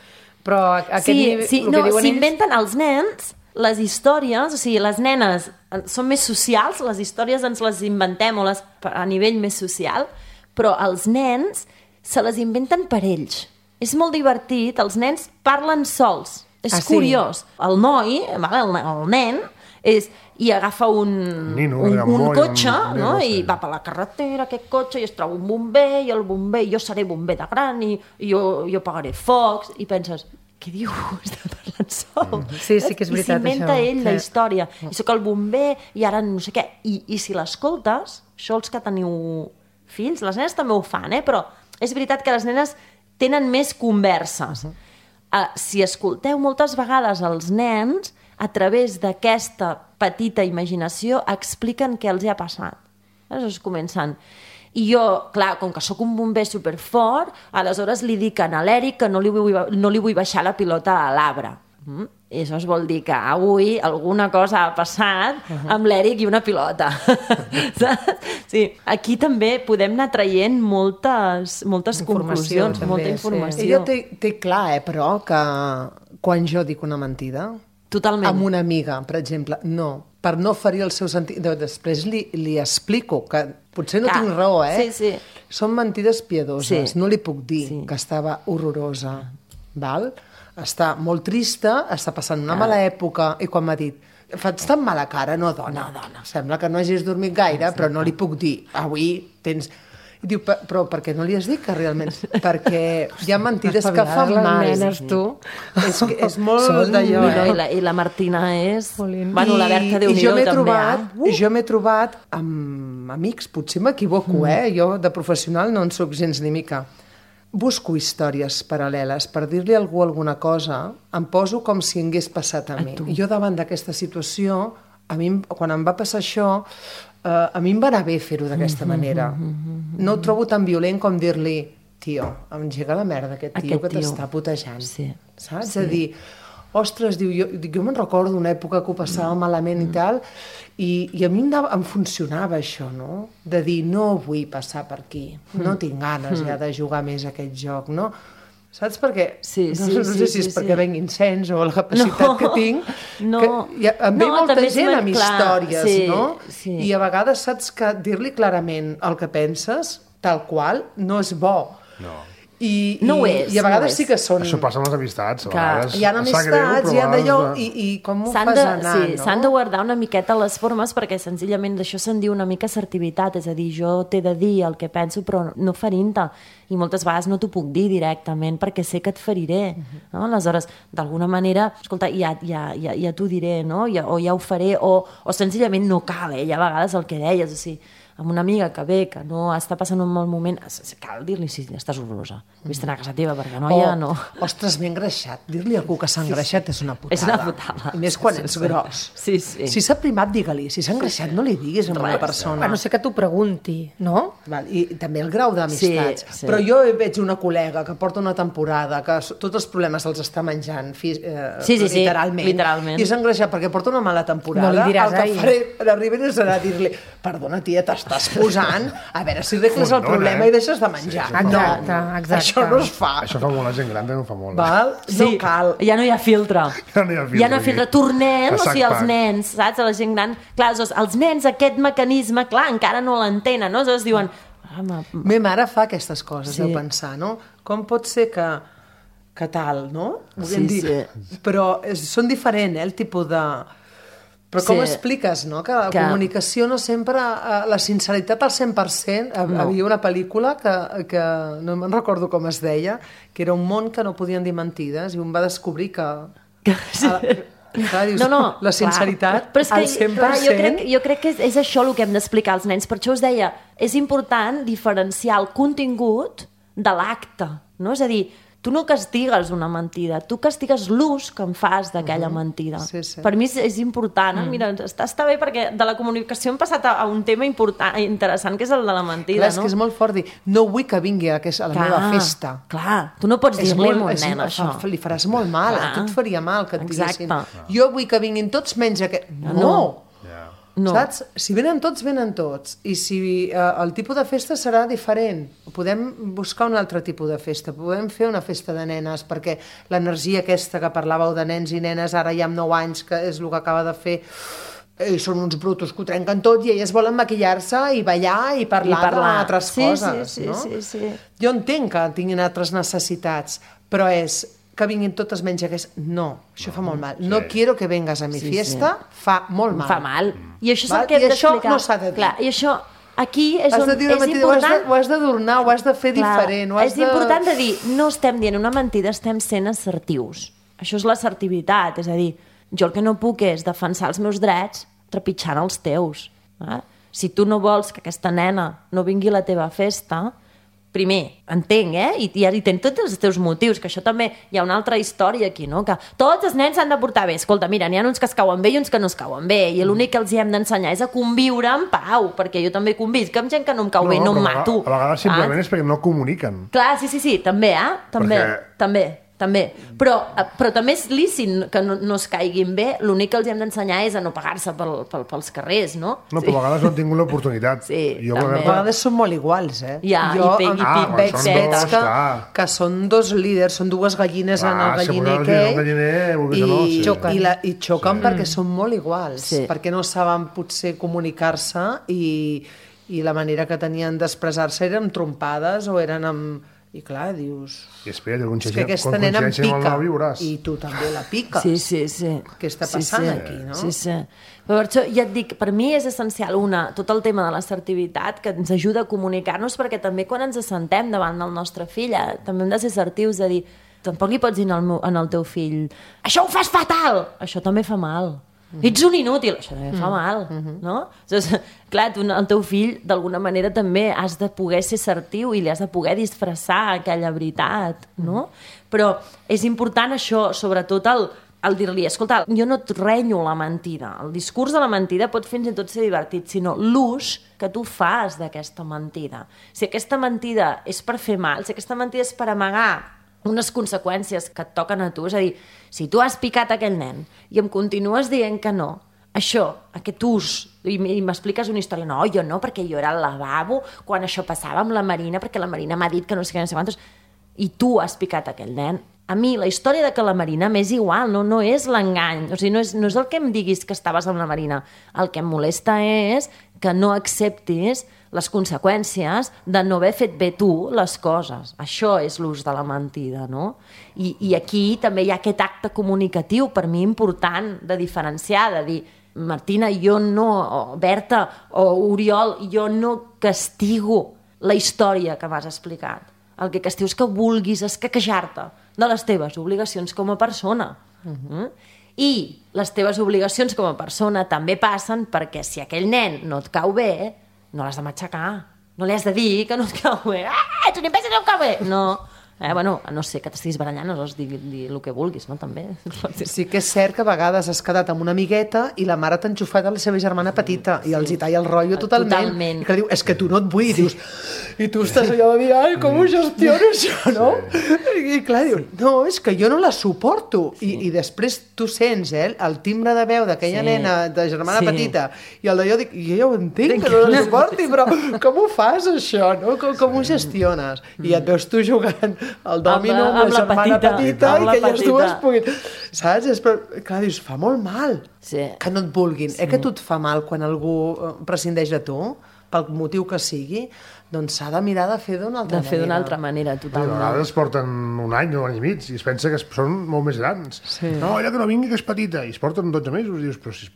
Però aquest sí, nivell, sí, el no, que diuen s'inventen ells... els nens les històries, o sigui, les nenes són més socials, les històries ens les inventem o les, a nivell més social, però els nens se les inventen per ells. És molt divertit, els nens parlen sols. És ah, sí? curiós. El noi, vale, el, el nen, és, i agafa un, Nino, un, un moll, cotxe, un, no? no sé. I va per la carretera, aquest cotxe, i es troba un bomber, i el bomber, jo seré bomber de gran, i, i jo, jo pagaré focs, i penses, què diu? Està parlant sol. Sí, sí que és veritat, I s'inventa això. ell Sí. la història. I sóc el bomber, i ara no sé què. I, i si l'escoltes, això els que teniu fills, les nenes també ho fan, eh? Però és veritat que les nenes tenen més converses. Uh -huh. uh, si escolteu moltes vegades els nens, a través d'aquesta petita imaginació, expliquen què els hi ha passat. Aleshores comencen... I jo, clar, com que sóc un bomber superfort, aleshores li dic a l'Eric que no li vull, no li vull baixar la pilota a l'arbre. Mm? I això vol dir que avui alguna cosa ha passat amb l'Eric i una pilota. Sí, aquí també podem anar traient moltes, moltes conclusions, també, molta sí. informació. Ella té, té clar, eh, però, que quan jo dic una mentida, Totalment. amb una amiga, per exemple, no, per no ferir el seu sentit, després li, li explico que potser no Ah, tinc raó, eh? sí, sí. Són mentides piadoses, Sí. no li puc dir Sí. que estava horrorosa, val? Està molt trista, està passant una mala època, i quan m'ha dit, fas tan mala cara, no, dona, No, dona. sembla que no hagis dormit gaire, però no li puc dir, avui tens... I diu, "Per- però per què no li has dit que realment... Perquè hi ha mentides que fan les mal. nenes, tu. És, que és molt Són d'allò, No, eh? i, la, I la Martina és... Jolín. Bueno, la Berta, I Déu-n'hi-do, jo m'he també. trobat, eh? Uh! jo m'he trobat amb amics, potser m'equivoco, mm. eh? Jo de professional no en soc gens ni mica. Busco històries paral·leles. Per dir-li a algú alguna cosa, em poso com si hagués passat a, A mi. tu. I jo davant d'aquesta situació, a mi, em- quan em va passar això, eh, a mi em va anar bé fer-ho d'aquesta manera. No ho trobo tan violent com dir-li, tio, engega la merda aquest tio Aquest que tio. t'està putejant. Sí. Saps? Sí. És a dir, ostres, diu, jo, dic, jo me'n recordo d'una època que ho passava Mm. malament i tal, i, i a mi em, dava, em funcionava això, no? De dir, no vull passar per aquí, no Mm. tinc ganes ja de jugar més a aquest joc, no? Saps per què? Sí, no, sí, no sí, sé si és sí, perquè sí. venguin sens o la capacitat No, que tinc, no. que hi ha, em ve No, molta també és gent molt amb clar, històries, sí, no? sí. I a vegades saps que dir-li clarament el que penses, tal qual, no és bo. No. I, No i, ho és, I a no ho vegades és. sí que són... Això passa amb les amistats. A Clar. vegades Hi ha em sap amistats, greu, però hi ha a d'allò, vegades- i, i com ho S'han fas de, anar, sí, no? s'han de guardar una miqueta les formes perquè senzillament d'això se'n diu una mica assertivitat, és a dir, jo t'he de dir el que penso però no ferint-te, i moltes vegades no t'ho puc dir directament perquè sé que et feriré, no? Aleshores, d'alguna manera, escolta, ja, ja, ja, ja t'ho diré, no? Ja, o ja ho faré, o, o senzillament no cal, eh? Hi ha vegades el que deies, o sigui, amb una amiga que ve, que no està passant un mal moment, cal dir-li si estàs horrorosa. Vés-te'n a casa teva, perquè noia, O, no... ostres, m'he engreixat. Dir-li a algú que s'ha engreixat és una putada. És una putada. I més quan Sí, ets sí. gros. Sí, sí. Si s'ha primat, digue-li. Si s'ha engreixat, no li diguis a una Res. persona. A no ser que t'ho pregunti, no? Val, i també el grau d'amistats. Sí, sí. Però jo veig una col·lega que porta una temporada que s- tots els problemes els està menjant fi, eh, Sí, sí, sí, literalment, literalment. i s'ha engreixat perquè porta una mala temporada. No li diràs, el que ai. faré a la Ribera serà dir-li, perdona tia, t'estàs posant, a veure si arregles el Fondona, problema eh? i deixes de menjar. Sí, no, exacte, exacte. això no es fa. Això fa molt la gent gran, també ho fa molt. eh? Val? No cal. Ja no hi ha filtre. Ja no hi ha filtre Ja no hi ha filtre. aquí. Tornem, A o sigui, sac els pack. nens, saps? A la gent gran. Clar, aleshores, els nens, aquest mecanisme, clar, encara no l'entenen, no? Aleshores diuen... Ah, ma... Me mare fa aquestes coses, Sí. sí. de pensar, no? Com pot ser que, que tal, no? Sí, Volem dir, sí. Però és, són diferents, eh, el tipus de... Però com Sí. expliques, no? Que la Que- comunicació no sempre... eh, La sinceritat al cent per cent... Hi No. havia una pel·lícula que, que no me'n recordo com es deia, que era un món que no podien dir mentides i un va descobrir que... Sí. A, clar, dius, No, no, la sinceritat clar. Però és que, al cent per clar, cent... jo crec, jo crec que és, és això el que hem d'explicar als nens. Per això us deia, és important diferenciar el contingut de l'acte, no? És a dir, tu no castigues una mentida, tu castigues l'ús que en fas d'aquella mentida. Sí, sí. Per mi és, és important. Mm. Mira, està, està bé perquè de la comunicació hem passat a, a un tema important, interessant, que és el de la mentida, Clar, és no? que és molt fort dir, no vull que vingui a, a la meva festa. Clar, tu no pots És dir-li molt- a un és- nen, això. fa- Li faràs molt mal, Clar. a tu et faria mal que et Exacte. diguessin jo vull que vinguin tots menys aquest... No! no. Ja. No. Saps? Si venen tots, venen tots. I si eh, el tipus de festa serà diferent. Podem buscar un altre tipus de festa. Podem fer una festa de nenes, perquè l'energia aquesta que parlàveu de nens i nenes ara ja amb nou anys, que és el que acaba de fer, i són uns brutos que ho trenquen tot i elles volen maquillar-se i ballar i parlar, I parlar. d'altres sí, coses. Sí, sí, no? sí, sí. Jo entenc que tinguin altres necessitats, però és que vinguin totes menys aquest... No, això fa molt mal. No sí. quiero que vengas a mi sí, fiesta, sí. fa molt mal. Fa mal. I això és Val? el que hem d'explicar. I això no s'ha de dir. Clar, i això aquí és has on de dir una és mentida, important... Ho has d'adornar, ho has de fer Clar, diferent. Ho has és de... important de dir, no estem dient una mentida, estem sent assertius. Això és l'assertivitat, és a dir, jo el que no puc és defensar els meus drets trepitjant els teus. Eh? Si tu no vols que aquesta nena no vingui a la teva festa... Primer, entenc, eh? I, i, i tens tots els teus motius, que això també hi ha una altra història aquí, no? Que tots els nens s'han de portar bé. Escolta, mira, n'hi ha uns que es cauen bé i uns que no es cauen bé, i l'únic que els hi hem d'ensenyar és a conviure en pau, perquè jo també convisc amb gent que no em cau no, bé, no em mato. A vegades simplement ah? és perquè no comuniquen. Clar, sí, sí, sí, també, eh? També, perquè... també. També. Però, però també és lícit que no, no es caiguin bé, l'únic que els hem d'ensenyar és a no pagar-se pel, pel, pels carrers, no? No, però sí. a vegades no han tingut l'oportunitat. Sí, jo, també. A vegades són molt iguals, eh? Ja, jo i pic, i pic, ah, veig dos, que, que són dos líders, són dues gallines ah, en el galliner que i, no, sí. xoquen, i, la, i xoquen sí. perquè mm. són molt iguals, sí. perquè no saben potser comunicar-se i, i la manera que tenien d'expressar-se eren trompades o eren amb... I clar, dius... I espera, quan és que aquesta nena em pica, viuràs. i tu també la piques. Sí, sí, sí. Què està passant sí, sí. aquí, no? Sí, sí. Però per això, ja et dic, per mi és essencial, una, tot el tema de l'assertivitat, que ens ajuda a comunicar-nos, perquè també quan ens assentem davant del nostre fill, eh, també hem de ser assertius, de dir, tampoc li pots dir al meu, al teu fill, això ho fas fatal! Això també fa mal. Mm -hmm. Ets un inútil, això també fa mal, mm -hmm. no? Llavors, clar, tu, el teu fill d'alguna manera també has de poder ser assertiu i li has de poder disfressar aquella veritat, no? Però és important això, sobretot el, el dir-li, escolta, jo no et renyo la mentida, el discurs de la mentida pot fins i tot ser divertit, sinó l'ús que tu fas d'aquesta mentida. Si aquesta mentida és per fer mal, si aquesta mentida és per amagar unes conseqüències que et toquen a tu, és a dir, si tu has picat aquell nen i em continues dient que no, això, aquest ús, i m'expliques una història, no, jo no, perquè jo era al lavabo quan això passava amb la Marina, perquè la Marina m'ha dit que no sé què, no sé quantos, i tu has picat aquell nen. A mi, la història de que la Marina m'és igual, no, no és l'engany, o sigui, no és, no és el que em diguis que estaves amb la Marina, el que em molesta és que no acceptis les conseqüències de no haver fet bé tu les coses. Això és l'ús de la mentida, no? I, i aquí també hi ha aquest acte comunicatiu, per mi important, de diferenciar, de dir, Martina, jo no, o Berta, o Oriol, jo no castigo la història que m'has explicat. El que castigo és que vulguis escaquejar-te de les teves obligacions com a persona. Uh-huh. Mm? I les teves obligacions com a persona també passen perquè si aquell nen no et cau bé, no l'has de matxacar. No li has de dir que no et cau bé. Ah, ets un imbècil, no em cau bé! No. Eh, bueno, a no ser que t'estiguis barallant, aleshores dir, dir el que vulguis, no? També. Sí que és cert que a vegades has quedat amb una amigueta i la mare t'ha enxufat a la seva germana petita sí. i els hi talla el rotllo totalment. totalment. I que diu, és que tu no et vull, sí. dius, i tu estàs allò de dir, ai, com ho gestiono això, no? Sí. I clar, dius, no, és que jo no la suporto. Sí. I, I després tu sents, eh, el timbre de veu d'aquella sí. nena de germana sí. petita i el d'allò, dic, jo ja ho entenc, que no la suporti, però com ho fas, això, no? Com, com ho gestiones? I et veus tu jugant el dòmino amb, amb la germana petita, petita i que elles dues puguin... Saps? És, però, clar, dius, fa molt mal sí. que no et vulguin. Sí. Eh que tu et fa mal quan algú prescindeix de tu, pel motiu que sigui, doncs s'ha de mirar de fer d'una altra manera. De fer d'una altra manera, totalment. A vegades porten un any, un any i mig, i es pensa que són molt més grans. Sí. No, allò que no vingui, que és petita, i es porten dotze mesos, i dius, però si,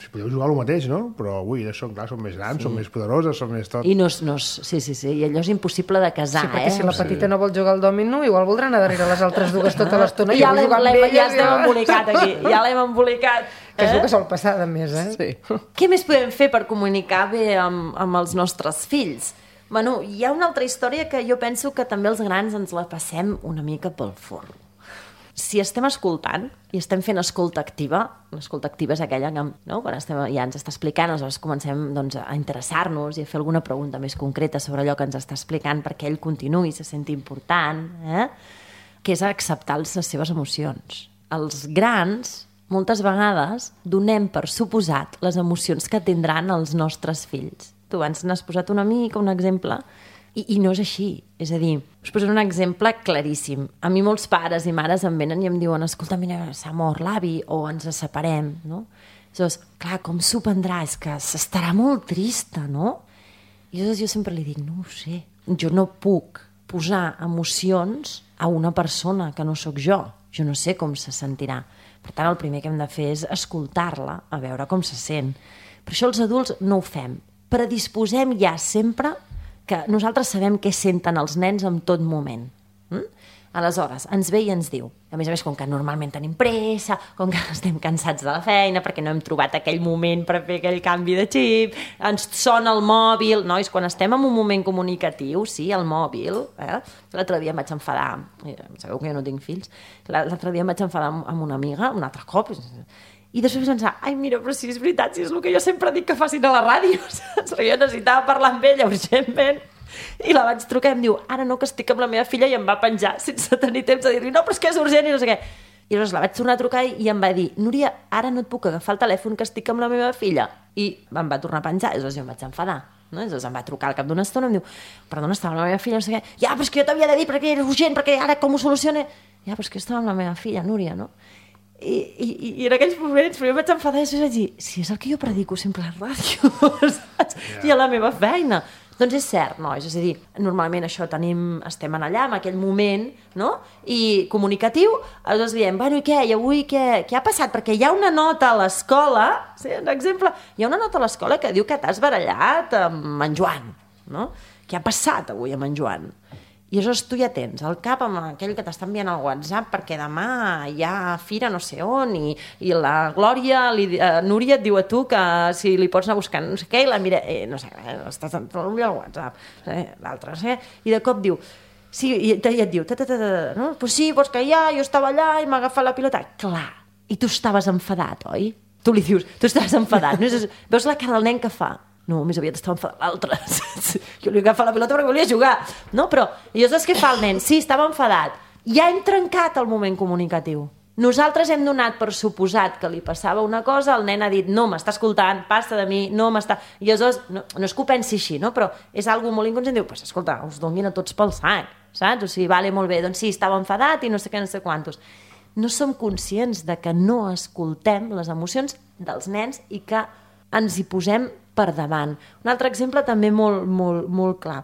si podeu jugar el mateix, no? Però avui, són, clar, són més grans, sí. són més poderoses, són més tot... I no, no, sí, sí, sí, i allò és impossible de casar, sí, perquè eh? si la petita sí. no vol jugar al dòmino, igual voldrà anar darrere les altres dues tota l'estona. Ja l'hem ja embolicat aquí, ja l'hem embolicat. Que és el que sol passar, a més, eh? Sí. Què més podem fer per comunicar bé amb, amb els nostres fills? Bueno, hi ha una altra història que jo penso que també els grans ens la passem una mica pel forn. Si estem escoltant i estem fent escolta activa, l'escolta activa és aquella que no, quan estem, ja ens està explicant, aleshores comencem doncs, a interessar-nos i a fer alguna pregunta més concreta sobre allò que ens està explicant perquè ell continuï, se senti important, eh? Que és acceptar les seves emocions. Els grans moltes vegades donem per suposat les emocions que tindran els nostres fills. Tu abans n'has posat una mica, un exemple, i, i no és així. És a dir, us posaré un exemple claríssim. A mi molts pares i mares em venen i em diuen escolta, mira, s'ha mort l'avi o ens separem, no? Llavors, clar, com s'ho prendrà? És que s'estarà molt trista, no? I llavors jo sempre li dic, no ho sé, jo no puc posar emocions a una persona que no sóc jo. Jo no sé com se sentirà. Per tant, el primer que hem de fer és escoltar-la, a veure com se sent. Per això els adults no ho fem. Predisposem ja sempre que nosaltres sabem què senten els nens en tot moment. Mm? Aleshores, ens ve i ens diu, a més a més, com que normalment tenim pressa, com que estem cansats de la feina, perquè no hem trobat aquell moment per fer aquell canvi de xip, ens sona el mòbil, nois, quan estem en un moment comunicatiu, sí, el mòbil, eh? L'altre dia em vaig enfadar, sabeu que jo no tinc fills, l'altre dia em vaig enfadar amb una amiga, un altre cop, i després vaig pensar, ai, mira, però si és veritat, si és el que jo sempre dic que facin a la ràdio, saps? Jo necessitava parlar amb ella urgentment, i la vaig trucar i em diu, ara no, que estic amb la meva filla, i em va penjar sense tenir temps de dir-li, no, però és que és urgent i no sé què. I llavors la vaig tornar a trucar i em va dir, Núria, ara no et puc agafar el telèfon que estic amb la meva filla. I em va tornar a penjar, i llavors jo em vaig enfadar. No? I llavors em va trucar al cap d'una estona i em diu, perdona, estava amb la meva filla, no sé què. Ja, però és que jo t'havia de dir perquè era urgent, perquè ara com ho solucione? Ja, però és que jo estava amb la meva filla, Núria, no? I, i, i en aquells moments jo em vaig enfadar i després vaig dir, si és el que jo predico sempre a la ràdio, saps? Yeah. I a la meva feina. Doncs és cert, nois, és a dir, normalment això tenim, estem en allà, en aquell moment, no? I comunicatiu, aleshores diem, bueno, i què, i avui què, què ha passat? Perquè hi ha una nota a l'escola, sí, un exemple, hi ha una nota a l'escola que diu que t'has barallat amb en Joan, no? Què ha passat avui amb en Joan? I aleshores tu ja tens el cap amb aquell que t'està enviant al WhatsApp perquè demà hi ha fira no sé on i, i la Glòria, li, uh, Núria et diu a tu que si li pots anar buscant no sé què i la mira, eh, no sé, eh, estàs al WhatsApp, eh, l'altre, no sé, i de cop diu, sí, i, i et diu, ta, ta, ta, ta, no? Pues sí, pues que ja, jo estava allà i m'ha agafat la pilota. Clar, i tu estaves enfadat, oi? Tu li dius, tu estaves enfadat, no? Veus la cara del nen que fa? No, més aviat estava enfadat l'altre. Jo li agafava la pilota perquè volia jugar. No, però, i llavors què fa el nen? Sí, estava enfadat. Ja hem trencat el moment comunicatiu. Nosaltres hem donat per suposat que li passava una cosa, el nen ha dit, no, m'està escoltant, passa de mi, no m'està... I llavors, no, no és que ho pensi així, no? Però és algo molt inconscient. Diu, pues, escolta, us donin a tots pel sac, saps? O sigui, vale, molt bé, doncs sí, estava enfadat i no sé què, no sé quantos. No som conscients de que no escoltem les emocions dels nens i que ens hi posem per davant. Un altre exemple també molt, molt, molt clar.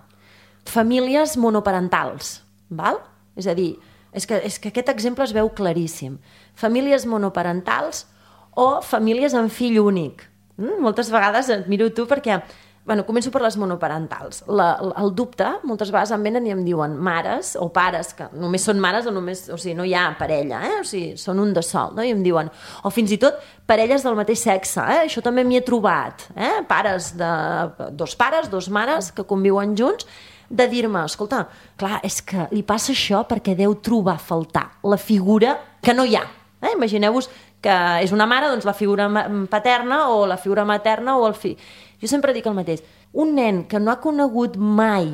Famílies monoparentals, val? És a dir, és que, és que aquest exemple es veu claríssim. Famílies monoparentals o famílies amb fill únic. Mm? Moltes vegades et miro tu perquè... Bueno, començo per les monoparentals. La, el dubte, moltes vegades em venen i em diuen mares o pares, que només són mares o només... O sigui, no hi ha parella, eh? O sigui, són un de sol, no? I em diuen... O fins i tot parelles del mateix sexe, eh? Això també m'hi he trobat, eh? Pares de... Dos pares, dos mares que conviuen junts, de dir-me, escolta, clar, és que li passa això perquè deu trobar a faltar la figura que no hi ha. Eh? Imagineu-vos que és una mare, doncs la figura paterna o la figura materna o el fill. Jo sempre dic el mateix. Un nen que no ha conegut mai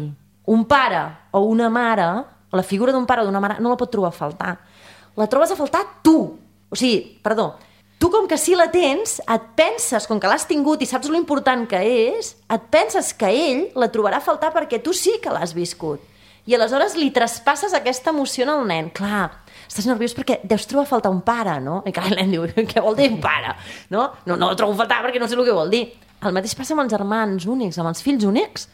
un pare o una mare, la figura d'un pare o d'una mare, no la pot trobar a faltar. La trobes a faltar tu. O sigui, perdó, tu com que sí la tens, et penses, com que l'has tingut i saps lo important que és, et penses que ell la trobarà a faltar perquè tu sí que l'has viscut. I aleshores li traspasses aquesta emoció al nen. Clar, estàs nerviós perquè deus trobar a faltar un pare, no? I clar, el nen diu, què vol dir un pare? No, no, no el trobo a faltar perquè no sé el que vol dir. El mateix passa amb els germans únics, amb els fills únics.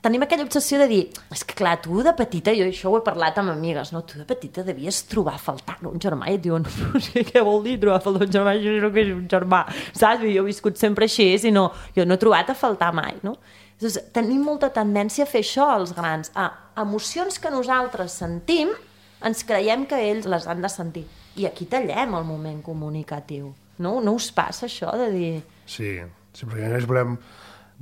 Tenim aquella obsessió de dir, és que clar, tu de petita, jo això ho he parlat amb amigues, no? Tu de petita devies trobar a faltar un germà i et diuen, no sé què vol dir trobar a faltar un germà, jo no que és un germà, saps? Jo he viscut sempre així i no, jo no he trobat a faltar mai, no? Llavors, tenim molta tendència a fer això als grans, a emocions que nosaltres sentim, ens creiem que ells les han de sentir. I aquí tallem el moment comunicatiu. No, no us passa això de dir... Sí, sí, perquè nosaltres volem,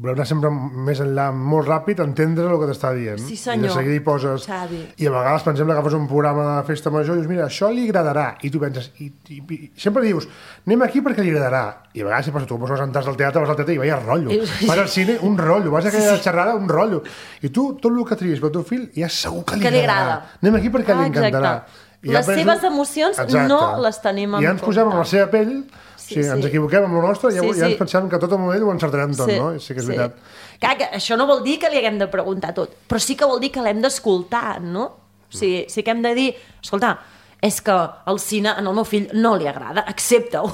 volem anar sempre més enllà, molt ràpid, entendre el que t'està dient. Sí, senyor. I de seguida hi poses... Xavi. I a vegades, per exemple, agafes un programa de festa major i dius, mira, això li agradarà. I tu penses... I, i, i sempre dius, anem aquí perquè li agradarà. I a vegades, si passa, tu vas entrar al teatre, vas al teatre i veia rotllo. Vas al cine, un rotllo. Vas a aquella sí. xerrada, un rotllo. I tu, tot el que triïs pel teu fill, ja segur que li, que li agradarà. Agrada. Anem aquí perquè ah, li encantarà. Exacte. I les ja penso... seves emocions Exacte. no les tenim en I ja ens posem en la seva pell, Sí, sí, sí. ens equivoquem amb el nostre i ja, Sí, ja ens sí. pensem que tot el moment ho encertarem tot, Sí, no? Sí que és sí. veritat. Clar, que això no vol dir que li haguem de preguntar tot, però sí que vol dir que l'hem d'escoltar, no? O sigui, sí que hem de dir, escolta, és que el cine en el meu fill no li agrada, accepta-ho,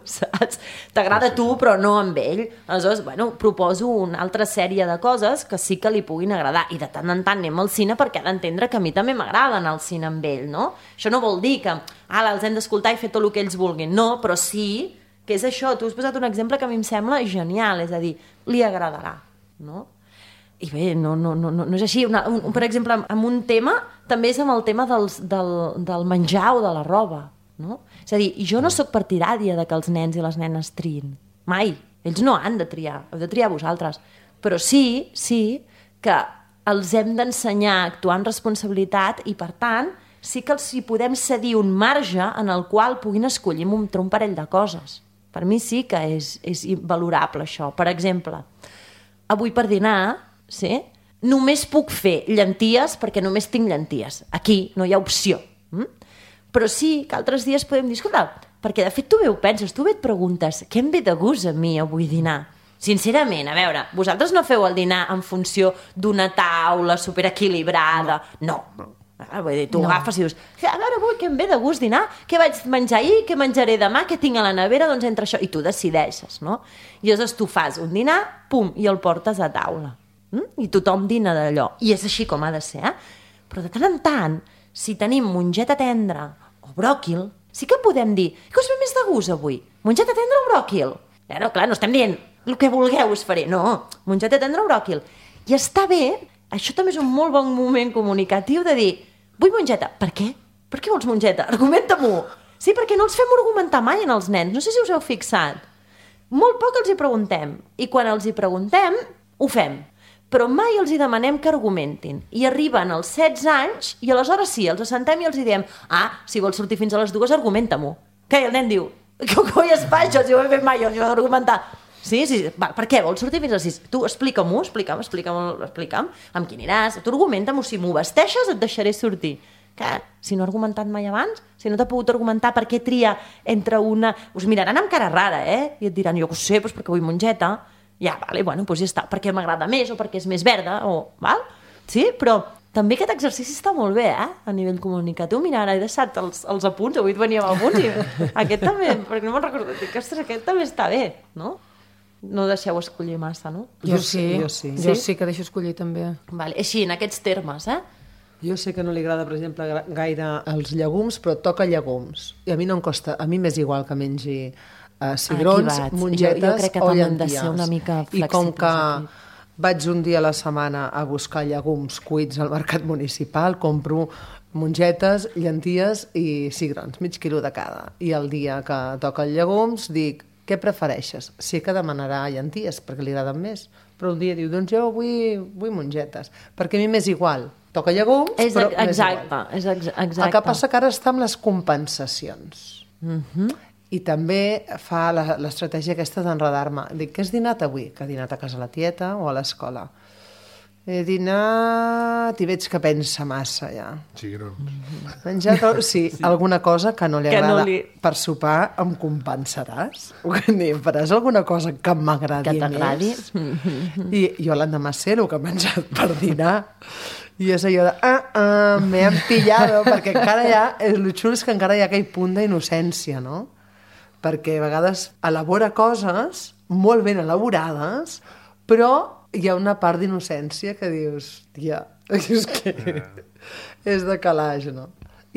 saps? T'agrada a tu, però no amb ell. Aleshores, bueno, proposo una altra sèrie de coses que sí que li puguin agradar, i de tant en tant anem al cine perquè ha d'entendre que a mi també m'agrada anar al cine amb ell, no? Això no vol dir que, ala, els hem d'escoltar i fer tot el que ells vulguin, no, però sí que és això, tu has posat un exemple que a mi em sembla genial, és a dir, li agradarà, no? I bé, no, no, no, no és així. Una, un, per exemple, amb un tema, també és amb el tema dels, del, del menjar o de la roba, no? És a dir, jo no sóc partidària de que els nens i les nenes triïn. Mai. Ells no han de triar, heu de triar vosaltres. Però sí, sí, que els hem d'ensenyar a actuar amb responsabilitat i, per tant, sí que els hi podem cedir un marge en el qual puguin escollir entre un parell de coses. Per mi sí que és, és valorable, això. Per exemple, avui per dinar, sí, només puc fer llenties perquè només tinc llenties. Aquí no hi ha opció. Mm? Però sí que altres dies podem dir, escolta, perquè de fet tu bé ho penses, tu bé et preguntes, què em ve de gust a mi avui dinar? Sincerament, a veure, vosaltres no feu el dinar en funció d'una taula superequilibrada. No. no. Ah, vull dir, tu no. agafes i dius, a veure, avui que em ve de gust dinar, què vaig menjar ahir, què menjaré demà, què tinc a la nevera, doncs entre això, i tu decideixes, no? I llavors tu fas un dinar, pum, i el portes a taula. Mm? I tothom dina d'allò. I és així com ha de ser, eh? Però de tant en tant, si tenim mongeta tendra o bròquil, sí que podem dir, què us ve més de gust avui? Mongeta tendra o bròquil? Eh, no, clar, no estem dient el que vulgueu us faré, no, mongeta tendra o bròquil. I està bé, això també és un molt bon moment comunicatiu de dir, vull mongeta. Per què? Per què vols mongeta? Argumenta-m'ho. Sí, perquè no els fem argumentar mai en els nens. No sé si us heu fixat. Molt poc els hi preguntem. I quan els hi preguntem, ho fem. Però mai els hi demanem que argumentin. I arriben als setze anys i aleshores sí, els assentem i els hi diem, ah, si vols sortir fins a les dues, argumenta-m'ho. Què? I el nen diu, que coi es fa això, si ho he fet mai, jo he d'argumentar. Sí, sí, va, per què? Vols sortir fins a les sis? Tu explica-m'ho, explica'm, explica'm, explica'm, amb qui aniràs, tu argumenta-m'ho, si m'ho vesteixes et deixaré sortir. Que, si no ha argumentat mai abans, si no t'ha pogut argumentar per què tria entre una... Us miraran amb cara rara, eh? I et diran, jo ho sé, doncs perquè vull mongeta. Ja, vale, bueno, doncs ja està, perquè m'agrada més o perquè és més verda, o... Val? Sí, però també aquest exercici està molt bé, eh? A nivell comunicatiu. Mira, ara he deixat els, els apunts, avui et venia amb apunts i aquest també, perquè no me'n recordo, dic, ostres, aquest també està bé, no? No deixeu escollir massa, no? Jo sí, jo sí. Jo sí que deixo escollir també. Vale, així, en aquests termes, eh? Jo sé que no li agrada, per exemple, gaire els llegums, però toca llegums. I a mi no em costa, a mi m'és igual que mengi uh, cigrons, mongetes jo, jo crec que o també llenties. hem de ser una mica I com que aquí. vaig un dia a la setmana a buscar llegums cuits al mercat municipal, compro mongetes, llenties i cigrons, mig quilo de cada. I el dia que toca els llegums dic, què prefereixes? Sí que demanarà llenties, perquè li agraden més. Però un dia diu, doncs jo vull, vull mongetes. Perquè a mi m'és igual. Toca llegums, és, però exacte, m'és igual. És ex exacte. El que passa que ara està amb les compensacions. Uh-huh. I també fa l'estratègia aquesta d'enredar-me. Dic, què has dinat avui? Que ha dinat a casa la tieta o a l'escola? He dinat i veig que pensa massa, ja. Cigrons. Menjat, sí, sí, alguna cosa que no li que agrada. No li... Per sopar em compensaràs? Em faràs alguna cosa que m'agradi més? Que t'agradi? I jo l'endemà sé el que he menjat per dinar. I és allò de, ah, ah, me han pillado, perquè encara hi ha, el xulo és que encara hi ha aquell punt d'innocència, no? Perquè a vegades elabora coses molt ben elaborades, però hi ha una part d'innocència que dius, tia, és que és de calaix, no?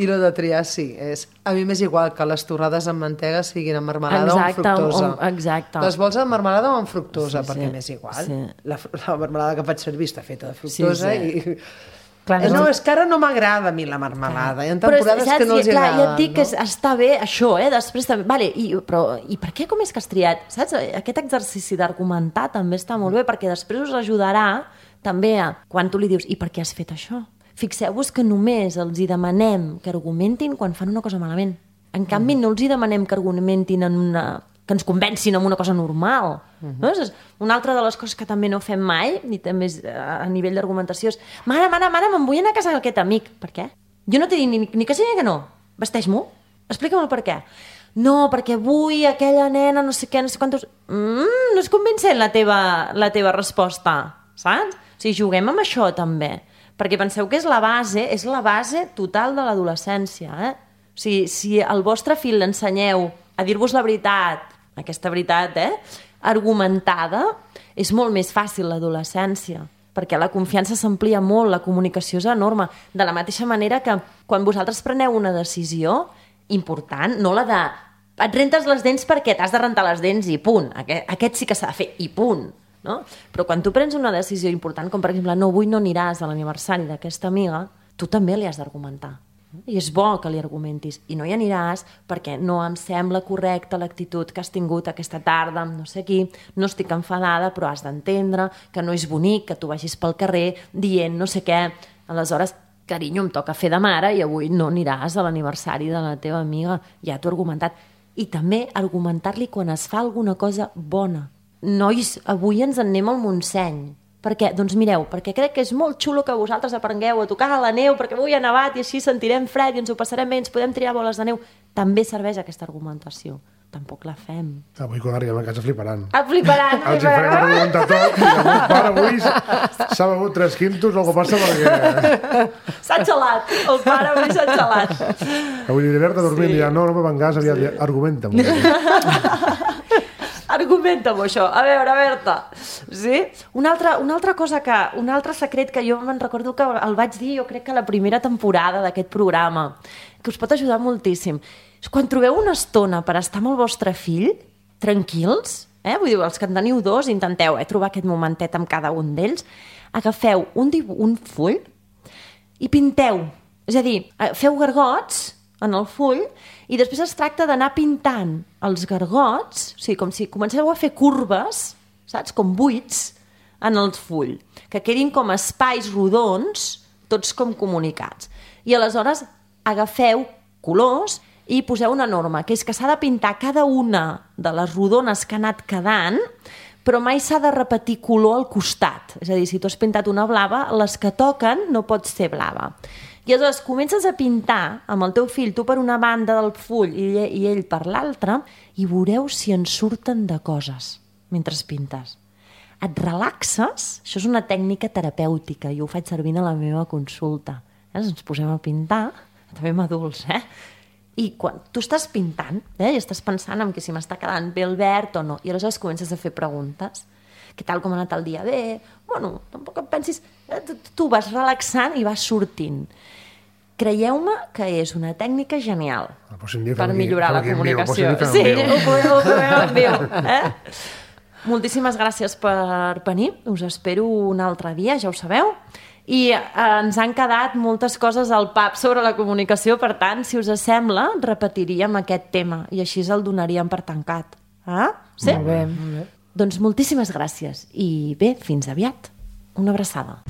I lo de triar, sí, és... A mi m'és igual que les torrades amb mantega siguin amb marmelada exacte, o amb fructosa. O, exacte. Les vols amb marmelada o amb fructosa, sí, perquè sí, m'és igual. Sí. La, la marmelada que faig servir està feta de fructosa sí, sí. i... Clar, eh, no, és que ara no m'agrada a mi la marmelada. Hi ha temporades però, que no els clar, agrada. Ja et dic no? que està bé això, eh? Després també... Vale, i, però, i per què com és que has triat? Saps? Aquest exercici d'argumentar també està molt bé, perquè després us ajudarà també a... Quan tu li dius, i per què has fet això? Fixeu-vos que només els hi demanem que argumentin quan fan una cosa malament. En canvi, mm. no els hi demanem que argumentin en una... que ens convencin amb una cosa normal. Mm-hmm. No? És una altra de les coses que també no fem mai, i també és a nivell d'argumentació, és mare, mare, mare, me'n vull anar a casa d'aquest amic. Per què? Jo no t'he dit ni, ni que sí ni que no. vesteix-m'ho, explica'm el per què. No, perquè avui aquella nena no sé què, no sé quantos... Mm, no és convincent la teva, la teva resposta, saps? O sigui, juguem amb això també, perquè penseu que és la base, és la base total de l'adolescència, eh? O sigui, si al vostre fill l'ensenyeu a dir-vos la veritat, aquesta veritat, eh, argumentada, és molt més fàcil l'adolescència, perquè la confiança s'amplia molt, la comunicació és enorme, de la mateixa manera que quan vosaltres preneu una decisió important, no la de et rentes les dents perquè t'has de rentar les dents i punt, aquest, aquest sí que s'ha de fer i punt, no? Però quan tu prens una decisió important, com per exemple, no, avui no aniràs a l'aniversari d'aquesta amiga, tu també li has d'argumentar. I és bo que li argumentis. I no hi aniràs perquè no em sembla correcta l'actitud que has tingut aquesta tarda amb no sé qui, no estic enfadada, però has d'entendre que no és bonic que tu vagis pel carrer dient no sé què. Aleshores, carinyo, em toca fer de mare i avui no aniràs a l'aniversari de la teva amiga. Ja t'ho he argumentat. I també argumentar-li quan es fa alguna cosa bona. Nois, avui ens en anem al Montseny. Per què? Doncs mireu, perquè crec que és molt xulo que vosaltres aprengueu a tocar a la neu, perquè avui ha nevat i així sentirem fred i ens ho passarem bé, ens podem triar boles de neu. També serveix aquesta argumentació. Tampoc la fem. Avui quan arribem a casa fliparan. Ah, fliparan. Els hi farem argumentar tot i el meu pare avui s'ha begut tres quintos, algo passa perquè... S'ha xalat, el pare avui s'ha xalat. Avui li Berta dormint i ja no, no me van gas, aviat ja argumenta. Argumenta-m'ho això. A veure, Berta. Sí? Una altra, una altra cosa que... Un altre secret que jo me'n recordo que el vaig dir, jo crec que la primera temporada d'aquest programa, que us pot ajudar moltíssim. Quan trobeu una estona per estar amb el vostre fill, tranquils, eh? Vull dir, els que en teniu dos, intenteu eh, trobar aquest momentet amb cada un d'ells, agafeu un, un full i pinteu. És a dir, feu gargots en el full i després es tracta d'anar pintant els gargots, o sigui, com si comenceu a fer curves, saps? Com buits en el full, que quedin com espais rodons, tots com comunicats. I aleshores agafeu colors i poseu una norma, que és que s'ha de pintar cada una de les rodones que ha anat quedant, però mai s'ha de repetir color al costat. És a dir, si tu has pintat una blava, les que toquen no pot ser blava. I aleshores comences a pintar amb el teu fill, tu per una banda del full i ell, i ell per l'altra, i veureu si en surten de coses mentre pintes. Et relaxes, això és una tècnica terapèutica, jo ho faig servir a la meva consulta. Eh? Ens posem a pintar, també amb adults, eh? I quan tu estàs pintant, eh? I estàs pensant en que si m'està quedant bé el verd o no, i aleshores comences a fer preguntes. Què tal, com ha anat el dia? Bé? Bueno, tampoc et pensis... Tu vas relaxant i vas sortint. Creieu-me que és una tècnica genial per millorar la comunicació. Sí, ho proveu en viu. Eh? Moltíssimes gràcies per venir. Us espero un altre dia, ja ho sabeu. I eh, ens han quedat moltes coses al pap sobre la comunicació, per tant, si us sembla, repetiríem aquest tema i així el donaríem per tancat. Ah? Sí? Molt bé, molt bé. Doncs moltíssimes gràcies i bé, fins aviat. Una abraçada.